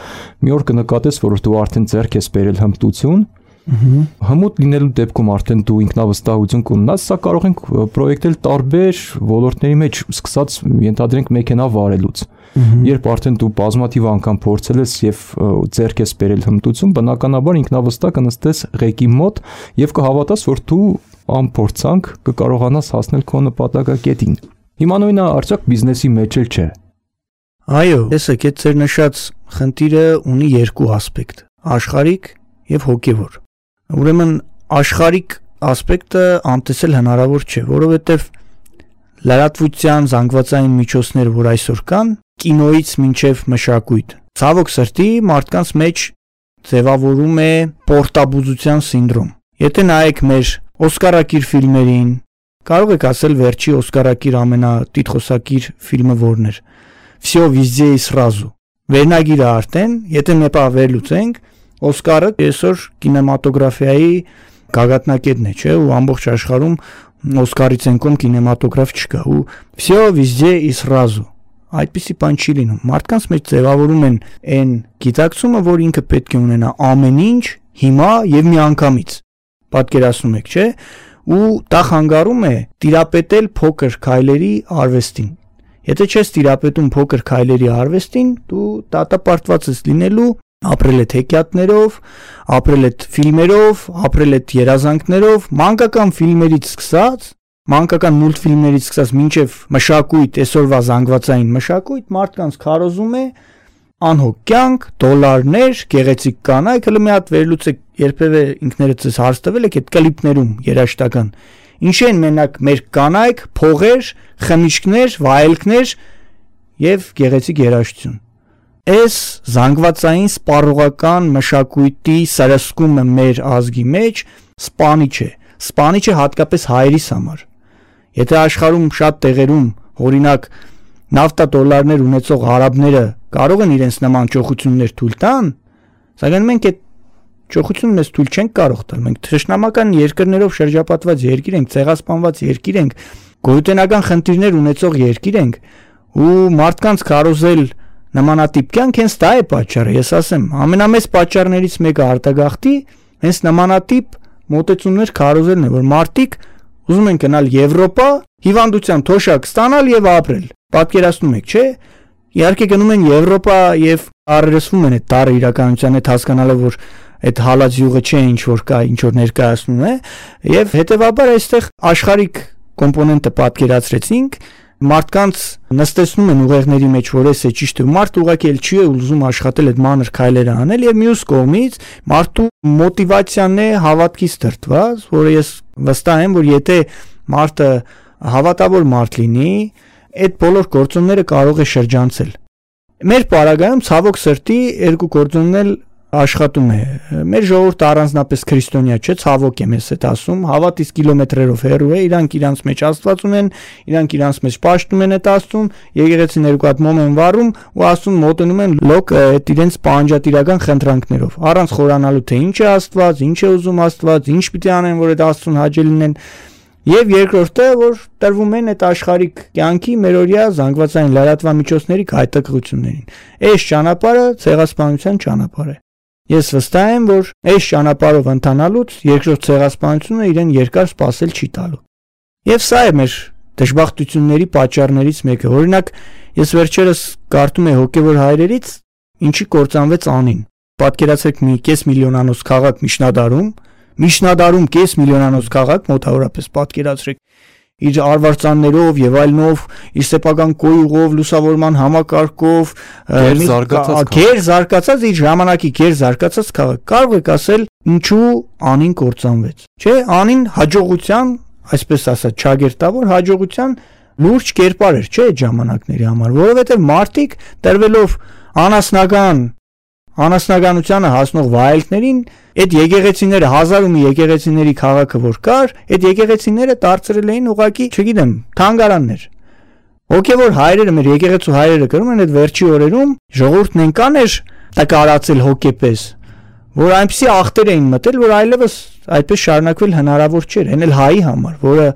մի օր կնկատես, որ դու արդեն ձեռք ես բերել հմտություն, հմուտ լինելու դեպքում արդեն դու ինքնավստահություն կունենաս, սա կարող ենք պրոյեկտել տարբեր ոլորտների մեջ, սկսած ենթադրենք մեքենա վարելուց։ Երբ արդեն դու բազմաթիվ անգամ փորձել ես եւ ձեռք ես բերել հմտություն, բնականաբար ինքնավստահ կնստես ղեկի մոտ եւ կհավատաս, որ դու անփորձանք կկարողանաս հասնել քո նպատակակետին։ Հիմա նույնը արդյոք բիզնեսի մեջ էլ չէ։ Այո, տեսեք, այդ ձեր նշած խնդիրը ունի երկու ասպեկտ՝ աշխարհիկ եւ հոգեվոր։ Ուրեմն աշխարհիկ ասպեկտը անտեսել հնարավոր չէ, որովհետեւ լրատվության զանգվածային միջոցները, որ այսօր կան, կինոից մինչև մշակույթ, ցավոք սրտի մարդկանց մեջ ձևավորում է պորտաբուզության սինդրոմ։ Եթե նայեք մեր օսկարակիր ֆիլմերին, կարող եք ասել վերջի օսկարակիր ամենատիտղոսակիր ֆիլմը որն էր։ Всё везде и сразу։ Վերնագիրը արդեն, եթե մեկ վերլուծենք, Օսկարը այսօր կինեմատոգրաֆիայի գագաթնակետն է, չէ՞, ու ամբողջ աշխարհում Օսկարից ենկոմ կինեմատոգրաֆ չկա, ու всё везде и сразу։ Այդպիսի բան չի լինում։ Մարդկանց մեջ ձևավորում են այն գիտակցումը, որ ինքը պետք է ունենա ամեն ինչ հիմա եւ միանգամից։ Պատկերացնում եք, չէ՞, ու դա խանգարում է տիրապետել փոքր քայլերի արվեստին։ Եթե չես տիրապետում փոքր քայլերի արվեստին, դու դատապարտված ես լինելու ապրել այդ հեքիաթներով, ապրել այդ ֆիլմերով, ապրել այդ երազանքներով, մանկական ֆիլմերից սկսած, մանկական մուլտֆիլմերից սկսած մինչև մշակույթ, այսօրվա զանգվածային մշակույթ, մարդկանց քարոզում է անհոգ կյանք, դոլարներ, գեղեցիկ կանայք, հələ մի հատ վերլուծեք, երբևէ ինքներդ ես հարց տվել եք այդ կլիպներում երաժշտական։ Ինչ են մենակ մեր կանայք, փողեր, խմիչքներ, վայելքներ եւ գեղեցիկ երաժշտություն։ Այս զանգվածային սպառողական մշակույթի սրսկումը մեր ազգի մեջ սպանիչ է։ Սպանիչ է հատկապես հայերիս համար։ Եթե աշխարհում շատ տեղերում, օրինակ, նավթա դոլարներ ունեցող արաբները կարող են իրենց նման ճոխություններ թույլ տան, սակայն մենք այդ ճոխությունը մեզ թույլ չենք կարող տալ։ Մենք թշնամական երկրներով շրջապատված երկիր ենք, ցեղասպանված երկիր ենք, գոյութենական խնդիրներ ունեցող երկիր ենք, ու մարդկանց կարոզել նմանատիպ կյանք հենց դա է պատճառը, ես ասեմ, ամենամեծ պատճառներից մեկը արտագաղթի հենց նմանատիպ մոտեցումներ քարոզելն է, որ մարդիկ ուզում են գնալ Եվրոպա, հիվանդության թոշակ ստանալ եւ ապրել։ Պատկերացնում եք, չէ՞։ Իհարկե գնում են Եվրոպա եւ առերեսվում են այդ տարը իրականության հետ հասկանալով, որ այդ հալած յուղը չէ, ինչ որ կա, ինչ որ ներկայացնում է, եւ հետեւաբար այստեղ աշխարհիկ կոմպոնենտը պատկերացրեցինք, մարդկանց նստեցնում են ուղեղների մեջ, որ էս է ճիշտ է, մարդը ուղղակի էլ չի ուզում աշխատել այդ մանր քայլերը անել եւ մյուս կողմից մարդու մոտիվացիան է հավատքից դրդված, որը ես վստահ եմ, որ եթե մարդը հավատավոր մարդ լինի, այդ բոլոր գործոնները կարող է շրջանցել։ Մեր պարագայում ցավոք սրտի երկու գործոնն էլ աշխատում է։ Մեր ժողովուրդը առանձնապես քրիստոնյա չէ, ցավոք եմ ես այդ ասում, հավատից կիլոմետրերով հեռու է, իրանք իրանց մեջ Աստված ունեն, իրանք իրանց մեջ պաշտում են այդ Աստծուն, եկեղեցին երկու հատ մոմ են վառում ու Աստծուն մոտենում են լոկ այդ իրենց պահանջատիրական խնդրանքներով, առանց խորանալու թե ինչ է Աստված, ինչ է ուզում Աստված, ինչ պիտի անեն, որ այդ Աստծուն հաճելի լինեն։ Եվ երկրորդը, որ տրվում են այդ աշխարհիկ կյանքի մերօրյա զանգվածային լրատվամիջոցների հայտակղություններին։ Այս ճանապարհը ցեղասպանության ճանապարհ է։ Ես վստահ եմ, որ այս ճանապարհով ընթանալուց երկրորդ ցեղասպանությունը իրեն երկար սպասել չի տալու։ Եվ սա է մեր դժբախտությունների պատճառներից մեկը։ Օրինակ, ես վերջերս կարդում եմ հոգևոր հայրերից, ինչի կործանվեց Անին։ Պատկերացրեք մի 5 միլիոնանոց քաղաք Միջնադարում 5 միլիոնանոց քաղաք մոտավորապես պատկերացրեք իր արվարձաններով եւ այլնով, իր սեփական կոյուղով, լուսավորման համակարգով, գեր զարգացած իր ժամանակի գեր զարգացած քաղաք։ Կարող եք ասել, ինչու Անին կործանվեց։ Չէ, Անին հաջողության, այսպես ասած, ճագերտավոր հաջողության լուրջ կերպար էր, չէ, այդ ժամանակների համար, որովհետեւ մարդիկ տրվելով անասնականությանը հասնող վայելքներին, այդ եկեղեցիները 1000 մի եկեղեցիների քաղաքը որ կար, այդ եկեղեցիները դարձրել էին ուղակի, չգիտեմ, թանգարաններ։ Հոգևոր հայրերը, մեր եկեղեցու հայրերը կրում են այդ վերջի օրերում ժողովուրդն այնքան էր տկարացել հոգեպես, որ այնպեսի ախտեր էին մտել, որ այլևս այդպես շարունակվել հնարավոր չէր, այն էլ հայի համար, որը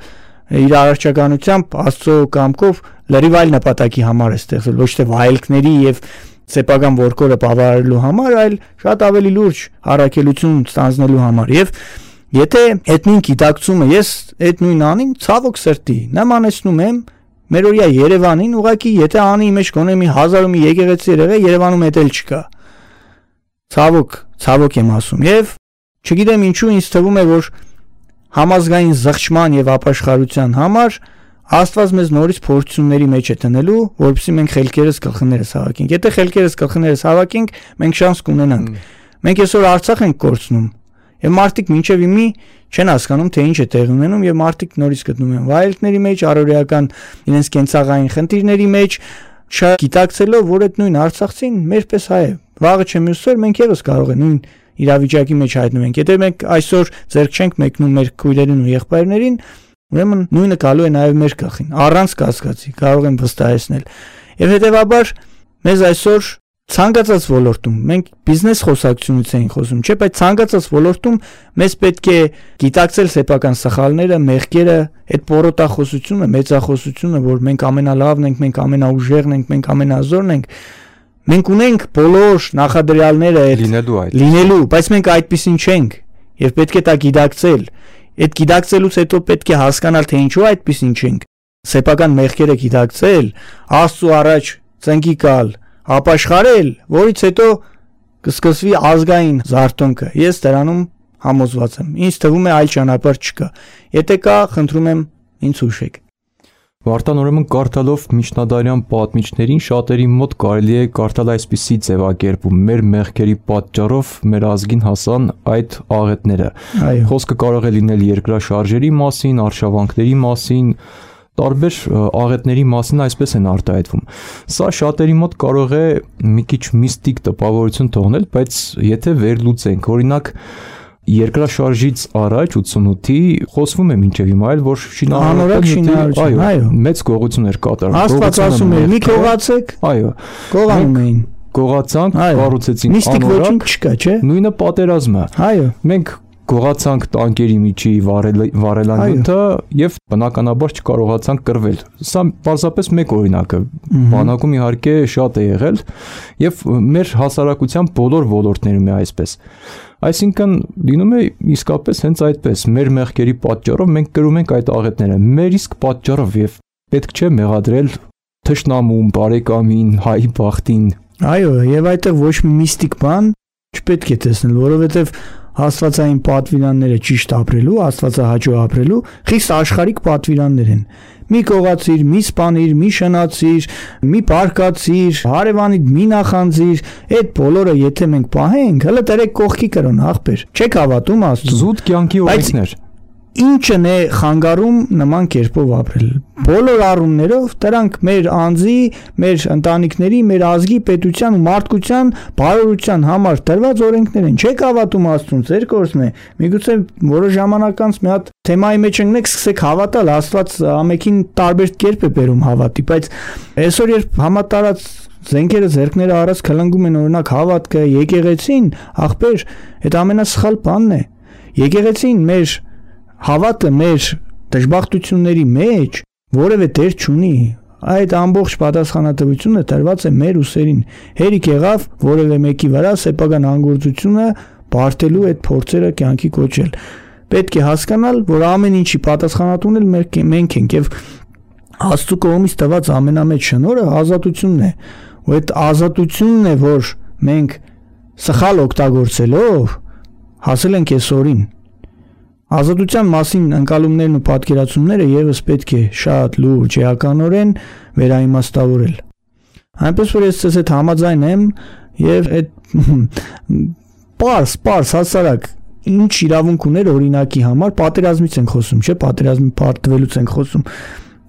իր առարչականությամբ Աստծո կամքով լրիվ այլ նպատակի համար է ստեղծել, ոչ թե վայելքների եւ սեփական ворկորը բավարարելու համար, այլ շատ ավելի լուրջ առաքելություն ստանձնելու համար։ Եվ եթե այդ նույն գիտակցումը ես այդ նույն Անին ցավոք սրտի նմանեցնում եմ մերօրյա Երևանին, ուղղակի եթե Անի մեջ գոնե մի 1000 մի եկեղեցի եղե, Երևանում էդ էլ չկա։ Ցավոք եմ ասում։ Եվ չգիտեմ ինչու ինձ թվում է, որ համազգային զղջման եւ ապաշխարության համար Աստված մեզ նորից փորձությունների մեջ է տնելու, որովհետեւ մենք խելքերս գլխներս հավաքենք։ Եթե խելքերս գլխներս հավաքենք, մենք շանս կունենանք։ Մենք այսօր Արցախ ենք կորցնում, եւ մարդիկ մինչեւ իմի չեն հասկանում, թե ինչ է տեղի ունենում, եւ մարդիկ նորից գտնում են վայելքների մեջ, առօրեական իրենց կենցաղային խնդիրների մեջ, չգիտակցելով, որ այդ նույն Արցախցին մերպես հայ է։ Վաղը չէ մյուսօր մենք եւս կարող ենք նույն իրավիճակի մեջ հայտնվենք։ Եթե մենք այսօր ձեռք չենք մեկնում մեր քույրերին ու եղբայրներին, ուրեմն նույնը գալու է նաև մեր գլխին, առանց կասկածի, կարող եմ վստահեցնել։ Եվ հետևաբար մեզ այսօր ցանկացած ոլորտում, մենք բիզնես խոսակցությունից ենք խոսում, չէ՞, բայց ցանկացած ոլորտում մեզ պետք է գիտակցել սեփական սխալները, մեղքերը, այդ պորոտախոսությունը, մեծախոսությունը, որ մենք ամենալավն ենք, մենք ամենաուժեղն ենք, մենք ամենազորն ենք, մենք ունենք բոլոր նախադրյալները լինելու, բայց մենք այդպեսին չենք եւ պետք է դա գիտակցել։ Այդ գիտակցելուց հետո պետք է հասկանալ, թե ինչու այդպեսին չենք։ Սեփական մեղքերը գիտակցել, Աստծո առաջ ծնկի գալ, ապաշխարել, որից հետո կսկսվի ազգային զարթոնքը։ Ես դրանում համոզված եմ։ Ինձ թվում է այլ ճանապարհ չկա։ Եթե կա, խնդրում եմ ինձ հուշեք։ Վարդան, ուրեմն կարդալով միջնադարյան պատմիչներին շատերի մոտ կարելի է կարդալ այսպիսի ձևակերպում. մեր մեղքերի պատճառով մեր ազգին հասան այդ աղետները։ Խոսքը կարող է լինել երկրաշարժերի մասին, արշավանքների մասին, տարբեր աղետների մասին այսպես են արտահայտվում։ Սա շատերի մոտ կարող է մի քիչ միստիկ տպավորություն թողնել, բայց եթե վերլուծենք, օրինակ երկրաշարժից առաջ 88-ի խոսվում է մինչև հիմա էլ, որ շինարարական, այո, մեծ գողություն էր կատարվում։ Աստված ասում էր՝ մի կողացեք, այո, կողանում էին, կողացանք, կառուցեցինք անորակ, միստիկ ոչինչ չկա, չէ՞։ Նույնը պատերազմը։ Այո, մենք գողացանք տանկերի միջի վարելանյութը եւ բնականաբար չկարողացանք կռվել։ Սա պարզապես մեկ օրինակ է։ Բանակում իհարկե շատ է եղել եւ մեր հասարակության բոլոր ոլորտներում է այսպես։ Այսինքն լինում է իսկապես հենց այդպես, մեր մեղքերի պատճառով մենք կրում ենք այդ աղետները, մեր իսկ պատճառով եւ պետք չէ մեղադրել թշնամուն, բարեկամին, հայի բախտին։ Այո, եւ այդտեղ ոչ մի միստիկ բան չպետք է տեսնել, որովհետեւ աստվածային պատվիրանները ճիշտ ապրելու, աստվածահաճո ապրելու խիստ աշխարհիկ պատվիրաններ են։ Մի կողացիր, մի սպանիր, մի շնացիր, մի բարկացիր, հարևանիդ մի նախանձիր, այդ բոլորը եթե մենք պահենք, հələ դերեք կողքի կրոն ախպեր։ Չեք հավատում Աստծուն։ Զուտ կյանքի օրենքներ։ ինչն է խանգարում նման կերպով ապրել։ Բոլոր առումներով դրանք մեր անձի, մեր ընտանիքների, մեր ազգի, պետության ու մարդկության բարօրության համար տրված օրենքներ են։ Չեք հավատում Աստծուն, ձեր գործն է։ Միգուցե որոշ ժամանակ անց մի հատ թեմայի մեջ ընկնեք, սկսեք հավատալ, Աստված ամենին տարբեր կերպ է բերում հավատի, բայց այսօր երբ համատարած զենքերը ձեռքները առած քլնգում են օրինակ հավատքը, եկեղեցին, ախպեր, այդ ամենասխալ բանն է։ Եկեղեցին մեր հավատը մեր դժբախտությունների մեջ որևէ դեր չունի, այդ ամբողջ պատասխանատվությունը տրված է մեր ուսերին։ Հերիք եղավ որևէ մեկի վրա սեփական անգործությունը բարդելու այդ փորձերը կյանքի կոչել։ Պետք է հասկանալ, որ ամեն ինչի պատասխանատուն էլ մենք ենք եւ Աստծո կողմից տված ամենամեծ շնորհը ազատությունն է։ Ու այդ ազատությունն է, որ մենք սխալ օգտագործելով հասել ենք այսօրին։ Ազատության մասին ընկալումներն ու պատկերացումները եւս պետք է շատ լուրջ էականորեն վերաիմաստավորել։ Այնպես որ ես ցես հետ համաձայն եմ եւ այդ պարս հասարակ ինչ իրավունք ուներ օրինակի համար պատերազմից ենք խոսում, չէ՞, պատերազմի պարտվելուց ենք խոսում։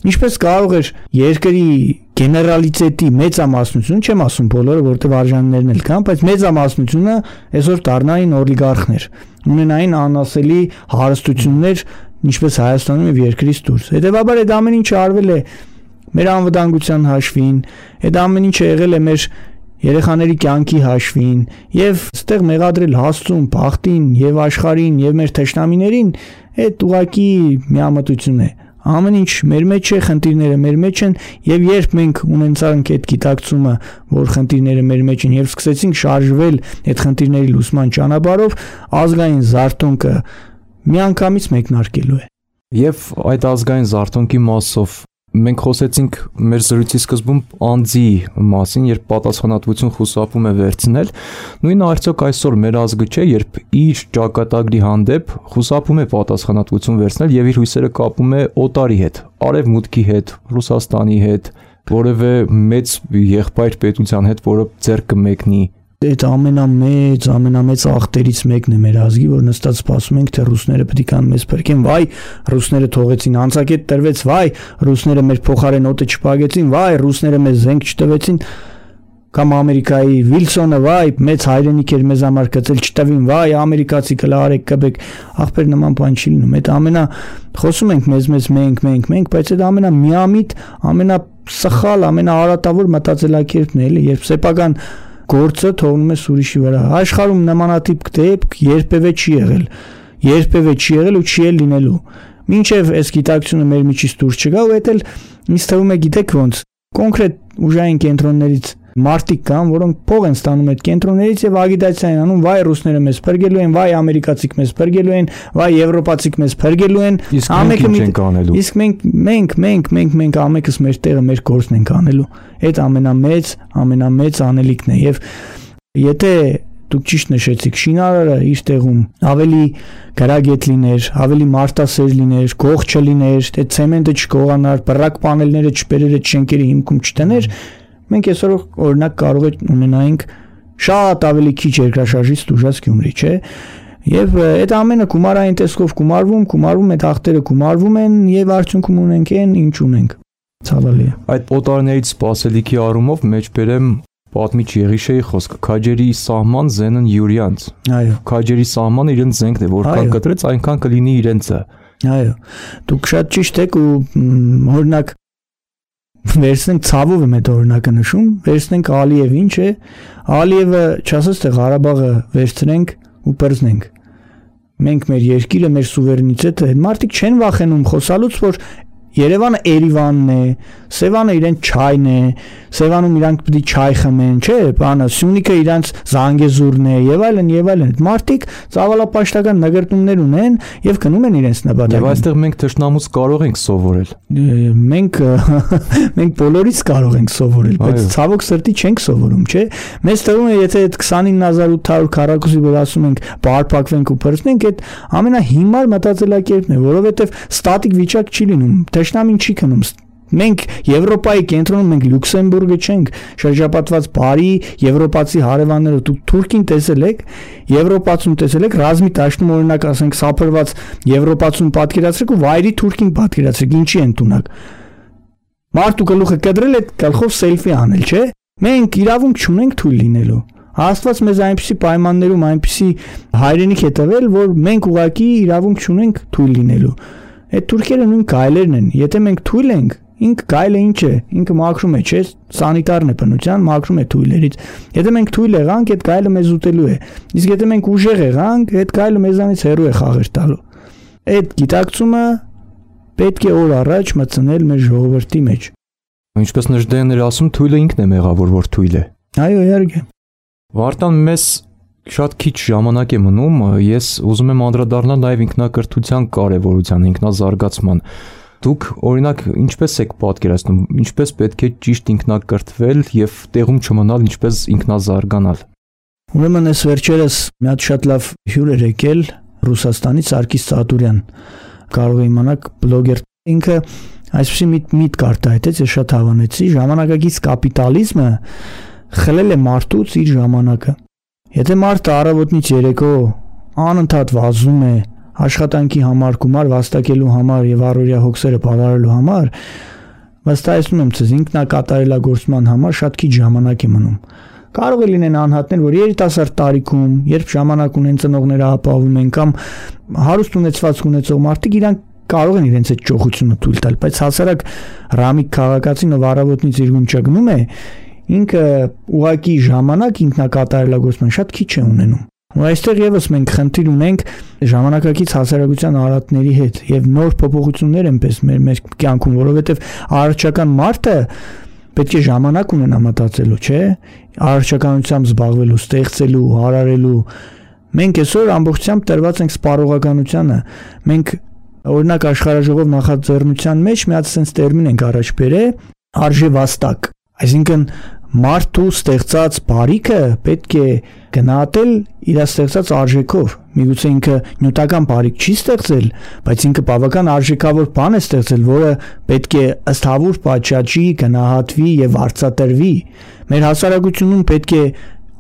Ինչպես կարող էր երկրի գեներալիտետի մեծամասնությունը, չեմ ասում բոլորը, որտեղ արժաններն էլ կան, բայց մեծամասնությունը այսօր դառնային օլիգարխներ, ունենային անասելի հարստություններ, ինչպես Հայաստանում եւ երկրից դուրս։ Հետևաբար այդ ամեն ինչը արվել է մեր անվտանգության հաշվին, այդ ամեն ինչը եղել է մեր երեխաների կյանքի հաշվին եւ այստեղ մեղադրել Աստծուն, բախտին եւ աշխարհին եւ մեր թշնամիներին, այդ ուղակի միամտություն է։ Ամեն ինչ մեր մեջ է, խնդիրները մեր մեջ են եւ երբ մենք ունենանք այդ գիտակցումը, որ խնդիրները մեր մեջ են եւ սկսեցինք շարժվել այդ խնդիրների լուսման ճանապարհով, ազգային զարթոնքը միանգամից մեկնարկելու է։ Եվ այդ ազգային զարթոնքի մասով մենք խոսեցինք մեր զրույցի սկզբում անձի մասին, երբ պատասխանատվություն խուսափում է վերցնել, նույնը արդյոք այսօր մեր ազգը չէ, երբ իր ճակատագրի հանդեպ խուսափում է պատասխանատվություն վերցնել եւ իր հույսերը կապում է օտարի հետ, արևմուտքի հետ, Ռուսաստանի հետ, որևէ մեծ եղբայր պետության հետ, որը ձեռք կմեկնի։ Այդ ամենամեծ ախտերից մեկն է մեր ազգի, որ նստած սպասում ենք, թե ռուսները պետք է կան մեզ փրկեն, վայ, ռուսները թողեցին անցակետ տրվեց, վայ, ռուսները մեր փոխարեն օդը չփակեցին, վայ, ռուսները մեզ զենք չտվեցին, կամ Ամերիկայի Վիլսոնը, վայ, մեծ հայրենիք էր մեզ համար գծել չտվին, վայ, ամերիկացի կլարեք կբեք, ախպեր նման բան չի լինում։ Այդ ամենա խոսում ենք մեզ մենք, բայց այդ ամենամիամիտ, ամենասխալ, ամենաարատավոր մտածելակերպն է, էլի, երբ սեփական գործը թողնում է ուրիշի վրա։ Աշխարհում նմանատիպ դեպք երբևէ չի եղել ու չի էլ լինելու։ Մինչև այս գիտակցությունը մեր միջից դուրս չգա, ու դա էլ ինձ թվում է, գիտեք ոնց, կոնկրետ ուժային կենտրոններից մարդիկ կան, որոնք փող են ստանում այդ կենտրոններից եւ ագիտացիա են անում, վայ ռուսները մեզ փրկելու են, վայ ամերիկացիք մեզ փրկելու են, վայ եվրոպացիք մեզ փրկելու են, իսկ մենք ամենքս մեր տեղը մեր գործն ենք անելու։ Այդ ամենամեծ անելիքն է եւ եթե դուք ճիշտ նշեցիք, շինարարը իր տեղում ավելի գրագետ լիներ, ավելի մարդասեր լիներ, գող չլիներ, թե ցեմենտը չկողանար, բռակ պանելները չբերեր այդ շենքերի հիմքում չտներ, մենք այսօր օրինակ կարող ունենայինք շատ ավելի քիչ երկրաշարժից դժուժած Գյումրի, չէ՞։ Եվ այդ ամենը գումարային տեսքով գումարվում, այդ ախտերը գումարվում են եւ արդյունքում ունենք այն, ինչ ունենք։ Ցավալի է։ Այդ օտարներից սպասելիքի առումով մեջբերեմ պատմիչ Եղիշեի խոսքը, քաջերի սահման զենն Յուրյանց։ Այո։ Քաջերի սահմանը իրենց զենքն է, որքան կտրեց, այնքան կլինի իրենցը։ Այո։ Դուք շատ ճիշտ եք ու օրինակ վերցնենք ցավով եմ այդ օրինակը նշում, վերցնենք Ալիև ինչ է, Ալիևը չասած թե Ղարաբաղը վերցնենք ու բռնենք։ Մենք մեր երկիրը, մեր սուվերենիտետը, այդ մարդիկ չեն վախենում խոսալուց, որ Երևանը Էրիվանն է, Սևանը իրեն չայն է, Սևանում իրանք պետք է չայ խմեն, չէ՞, բանը, Սյունիքը իրանք Զանգեզուրն է եւ այլն։ Մարդիկ ծավալապաշտական նկարտումներ ունեն եւ գնում են իրենց նպատակին։ Եվ այստեղ մենք թշնամուց կարող ենք սովորել։ Մենք բոլորից կարող ենք սովորել, բայց ցավոք սրտի չենք սովորում, չէ՞։ Մեզ թվում է, եթե այդ 29800 քառակուսի վրա ասում ենք բարփակվենք ու բրցնենք, այդ ամենահիմար մտածելակերպն է, որովհետեւ ստատիկ վիճակ չի լինում։ Թշնամին չի քնում Մենք Եվրոպայի կենտրոնում, մենք Լյուքսեմբուրգը չենք, շրջապատված բարի եվրոպացի հարևաններով, դուք Թուրքին տեսել եք, Եվրոպացուն տեսել եք, ռազմի դաշտում օրինակ ասենք սափրված Եվրոպացուն պատկերացրեք ու վայրի Թուրքին պատկերացրեք, ինչի ընդունակ։ Մարդու գլուխը կտրել այդ գլխով սելֆի անել, չէ՞։ Մենք իրավունք չունենք թույլ լինելու։ Աստված մեզ այնպիսի պայմաններում, այնպիսի հայրենիք է տվել, որ մենք ուղղակի իրավունք չունենք թույլ լինելու։ Այդ թուրքերը նույն գայլերն են։ Եթե մենք թույլ ենք, ինքը գայլը ինչ է, ինքը մաքրում է, չէ՞, սանիտարն է բնության, մաքրում է թույլերից։ Եթե մենք թույլ եղանք, այդ գայլը մեզ ուտելու է։ Իսկ եթե մենք ուժեղ եղանք, այդ գայլը մեզանից հեռու է խաղեր տալու։ Այդ գիտակցումը պետք է օր առաջ մտցնել մեր ժողովրդի մեջ։ Ինչպես Նժդեհն էր ասում, թույլը ինքն է մեղավոր, որ թույլ է։ Այո, իհարկե։ Վարդան, մեզ շատ քիչ ժամանակ է մնում, ես ուզում եմ անդրադառնալ նաև ինքնակրթության կարևորության, ինքնազարգացման։ Դուք օրինակ ինչպես եք պատկերացնում, ինչպես պետք է ճիշտ ինքնակրթվել եւ տեղում չմնալ, ինչպես ինքնազարգանալ։ Ուրեմն այս վերջերս մի հատ շատ լավ հյուր էր եկել Ռուսաստանից Սարգիս Ծատուրյան, կարող է իմանաք բլոգեր, ինքը այսպեսի միտ կարտահայտեց, ես շատ հավանեցի, ժամանակակից կապիտալիզմը խլել է մարդուց իր ժամանակը։ Եթե մարդը առավոտից երեկո անընդհատ վազում է աշխատանքի համար, գումար վաստակելու համար եւ առօրյա հոգսերը բավարարելու համար, վստահեցնում եմ ցեզ, ինքնակատարելագործման համար շատ քիչ ժամանակ է մնում։ Կարող է լինեն անհատներ, որ երիտասարդ տարիքում, երբ ժամանակ ունեն, ծնողները ապահովում են կամ հարուստ ունեցվածք ունեցող մարդիկ, իրանք կարող են իրենց այդ ճոխությունը թույլ տալ, բայց հասարակ ռամիկ քաղաքացին, ով առավոտից իր գունչը գնում է, ինքը ուղակի ժամանակ ինքնակատարելագործման շատ քիչ է ունենում։ Ու այստեղ եւս մենք խնդիր ունենք ժամանակակից հասարակության արատների հետ եւ նոր փոփոխություններ այնպես մեր կյանքում, որովհետեւ առողջական մարդը պետք է ժամանակ ունենա մտածելու, չէ՞, առողջականությամբ զբաղվելու, ստեղծելու, հարարելու։ Մենք այսօր ամբողջությամբ տրված ենք սպառողականությանը։ Մենք օրինակ աշխարհաժողով նախաձեռնության մեջ մի հատ sense տերմին ենք առաջ բերել՝ արժևաստակ, այսինքն մարդու ստեղծած բարիքը պետք է գնահատել իր ստեղծած արժեքով։ Միգուցե ինքը նյութական բարիք չի ստեղծել, բայց ինքը բավական արժեքավոր բան է ստեղծել, որը պետք է ըստ հավուր պատշաճի, գնահատվի եւ արծատրվի։ Մեր հասարակությունում պետք է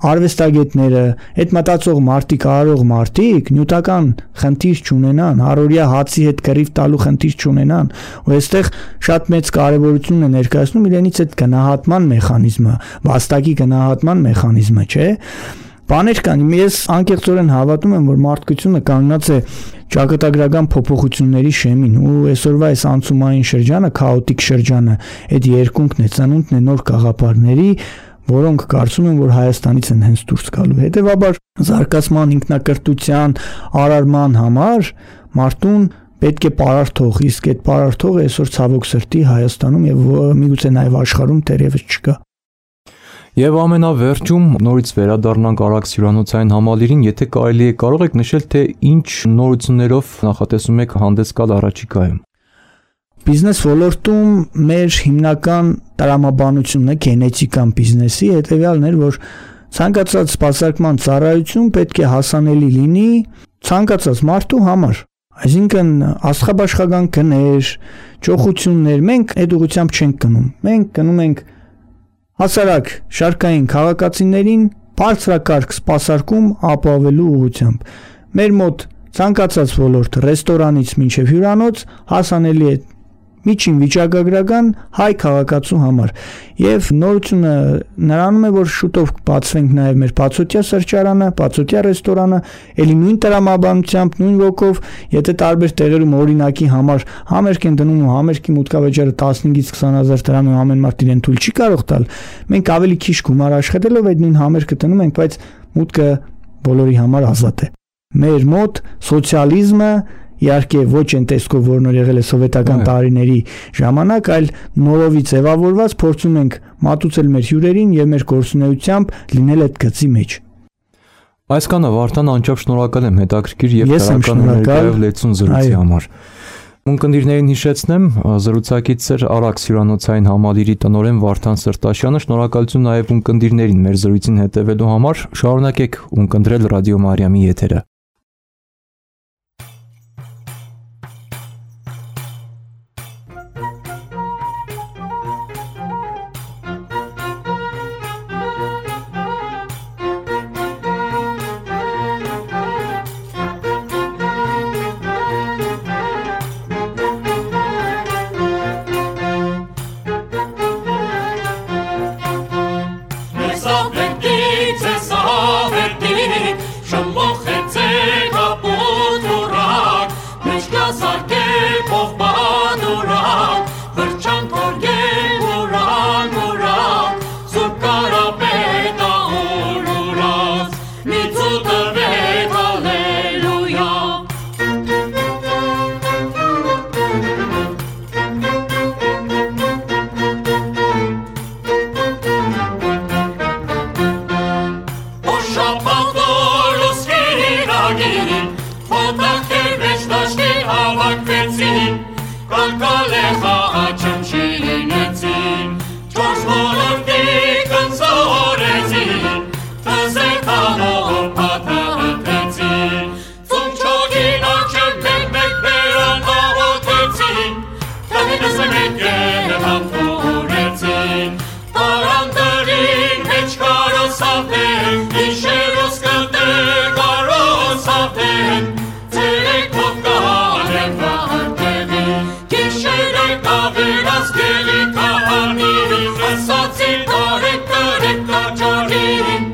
արվեստագետները, այդ մտածող մարդիկ, արարող մարդիկ նյութական խնդիր չունենան, առօրյա հացի հետ կռիվ տալու խնդիր չունենան, ու այստեղ շատ մեծ կարևորություն է ներկայացնում իրենից այդ գնահատման մեխանիզմը, վաստակի գնահատման մեխանիզմը, չէ՞։ Բաներ կան, ես անկեղծորեն հավատում եմ, որ մարդկությունը կանգնած է ճակատագրական փոփոխությունների շեմին, ու այսօրվա այս անցումային շրջանը, քաոտիկ շրջանը, այդ երկունքն է, ծնունդն է նոր գաղափարների, որոնք կարծում են, որ Հայաստանից են հենց դուրս գալու։ Հետևաբար զարգացման, ինքնակրթության, արարման համար մարդուն պետք է պարարթող, իսկ այդ պարարթողը այսօր ցավոք սրտի Հայաստանում եւ միգուցե նաեւ աշխարհում դեռևս չկա։ Եվ ամենավերջում նորից վերադառնանք Արաքս հյուրանոցային համալիրին, եթե կարելի է, կարող եք նշել, թե ինչ նորություններով նախատեսում եք հանդես գալ առաջիկայում։ Բիզնես ոլորտում մեր հիմնական տրամաբանությունը գենետիկան բիզնեսի հետևյալն էր, որ ցանկացած սպասարկման ծառայություն պետք է հասանելի լինի ցանկացած մարդու համար։ Այսինքն աստղաբաշխական գներ, ճոխություններ, մենք այդ ուղղությամբ չենք գնում։ Մենք գնում ենք հասարակ շարքային քաղաքացիներին բարձրակարգ սպասարկում ապահովելու ուղղությամբ։ Մեր մոտ ցանկացած ոլորտ, ռեստորանից մինչև հյուրանոց հասանելի է միջին վիճակագրական հայ քաղաքացու համար։ Եվ նորությունը նրանում է, որ շուտով բացվենք նաև մեր բացօթյա սրճարանը, բացօթյա ռեստորանը, ելի նույն տրամաբանությամբ, նույն ոգով, եթե տարբեր տեղերում օրինակի համար համերգ են դնում ու համերգի մուտքավեճերը 15-ից 20,000 դրամ է, ամեն մարդ իրեն թույլ չի կարող տալ, մենք ավելի քիչ գումար աշխատելով այդ նույն համերգը դնում ենք, բայց մուտքը բոլորի համար ազատ է։ Մեր մոտ սոցիալիզմը իհարկե ոչ այն տեսքով, որն որ եղել է սովետական տարիների ժամանակ, այլ նորովի ձևավորված փորձում ենք մատուցել մեր հյուրերին եւ մեր գործունեությամբ լինել այդ գծի մեջ։ Այսքանը Վարդան, անչափ շնորհակալ եմ հետաքրքիր եւ դրական ներկայով լեցուն զրույցի համար։ Ունկնդիրներին հիշեցնեմ, զրուցակից էր Արաքս հյուրանոցային համալիրի տնօրեն Վարդան Սրտաշյանը, շնորհակալություն նաեւ ունկնդիրներին մեր զրույցին հետևելու համար, շարունակեք ունկնդրել Ռադիո Մարիամի եթերը։ օտակեր մեջ դաշտի հավաքվեցին, կալկալեխա աչմ շինեցին, չորս մոլորդի կնձորեցին, տզետանով պատահտեցին, ծունչոգին աչեմ մեկ բերան աղոթեցին, տհինս մեկ և համտուրեցին, տարանդրին մեջ կարոսավեն, իշերոս կտե կարոսավեն, ծերեկով կանեմ վարտեղին, գիշերը կավերած գելի կահանին, ասացին տարեք տաճարին,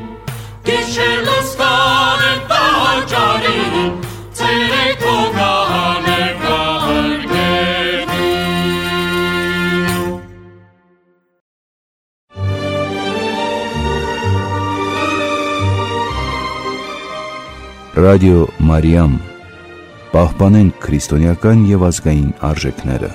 գիշերոս կանեմ տաճարին, ծերեկով կանեմ վարտեղին։ Ռադիո Մարիամ, պահպանենք քրիստոնեական և ազգային արժեքները։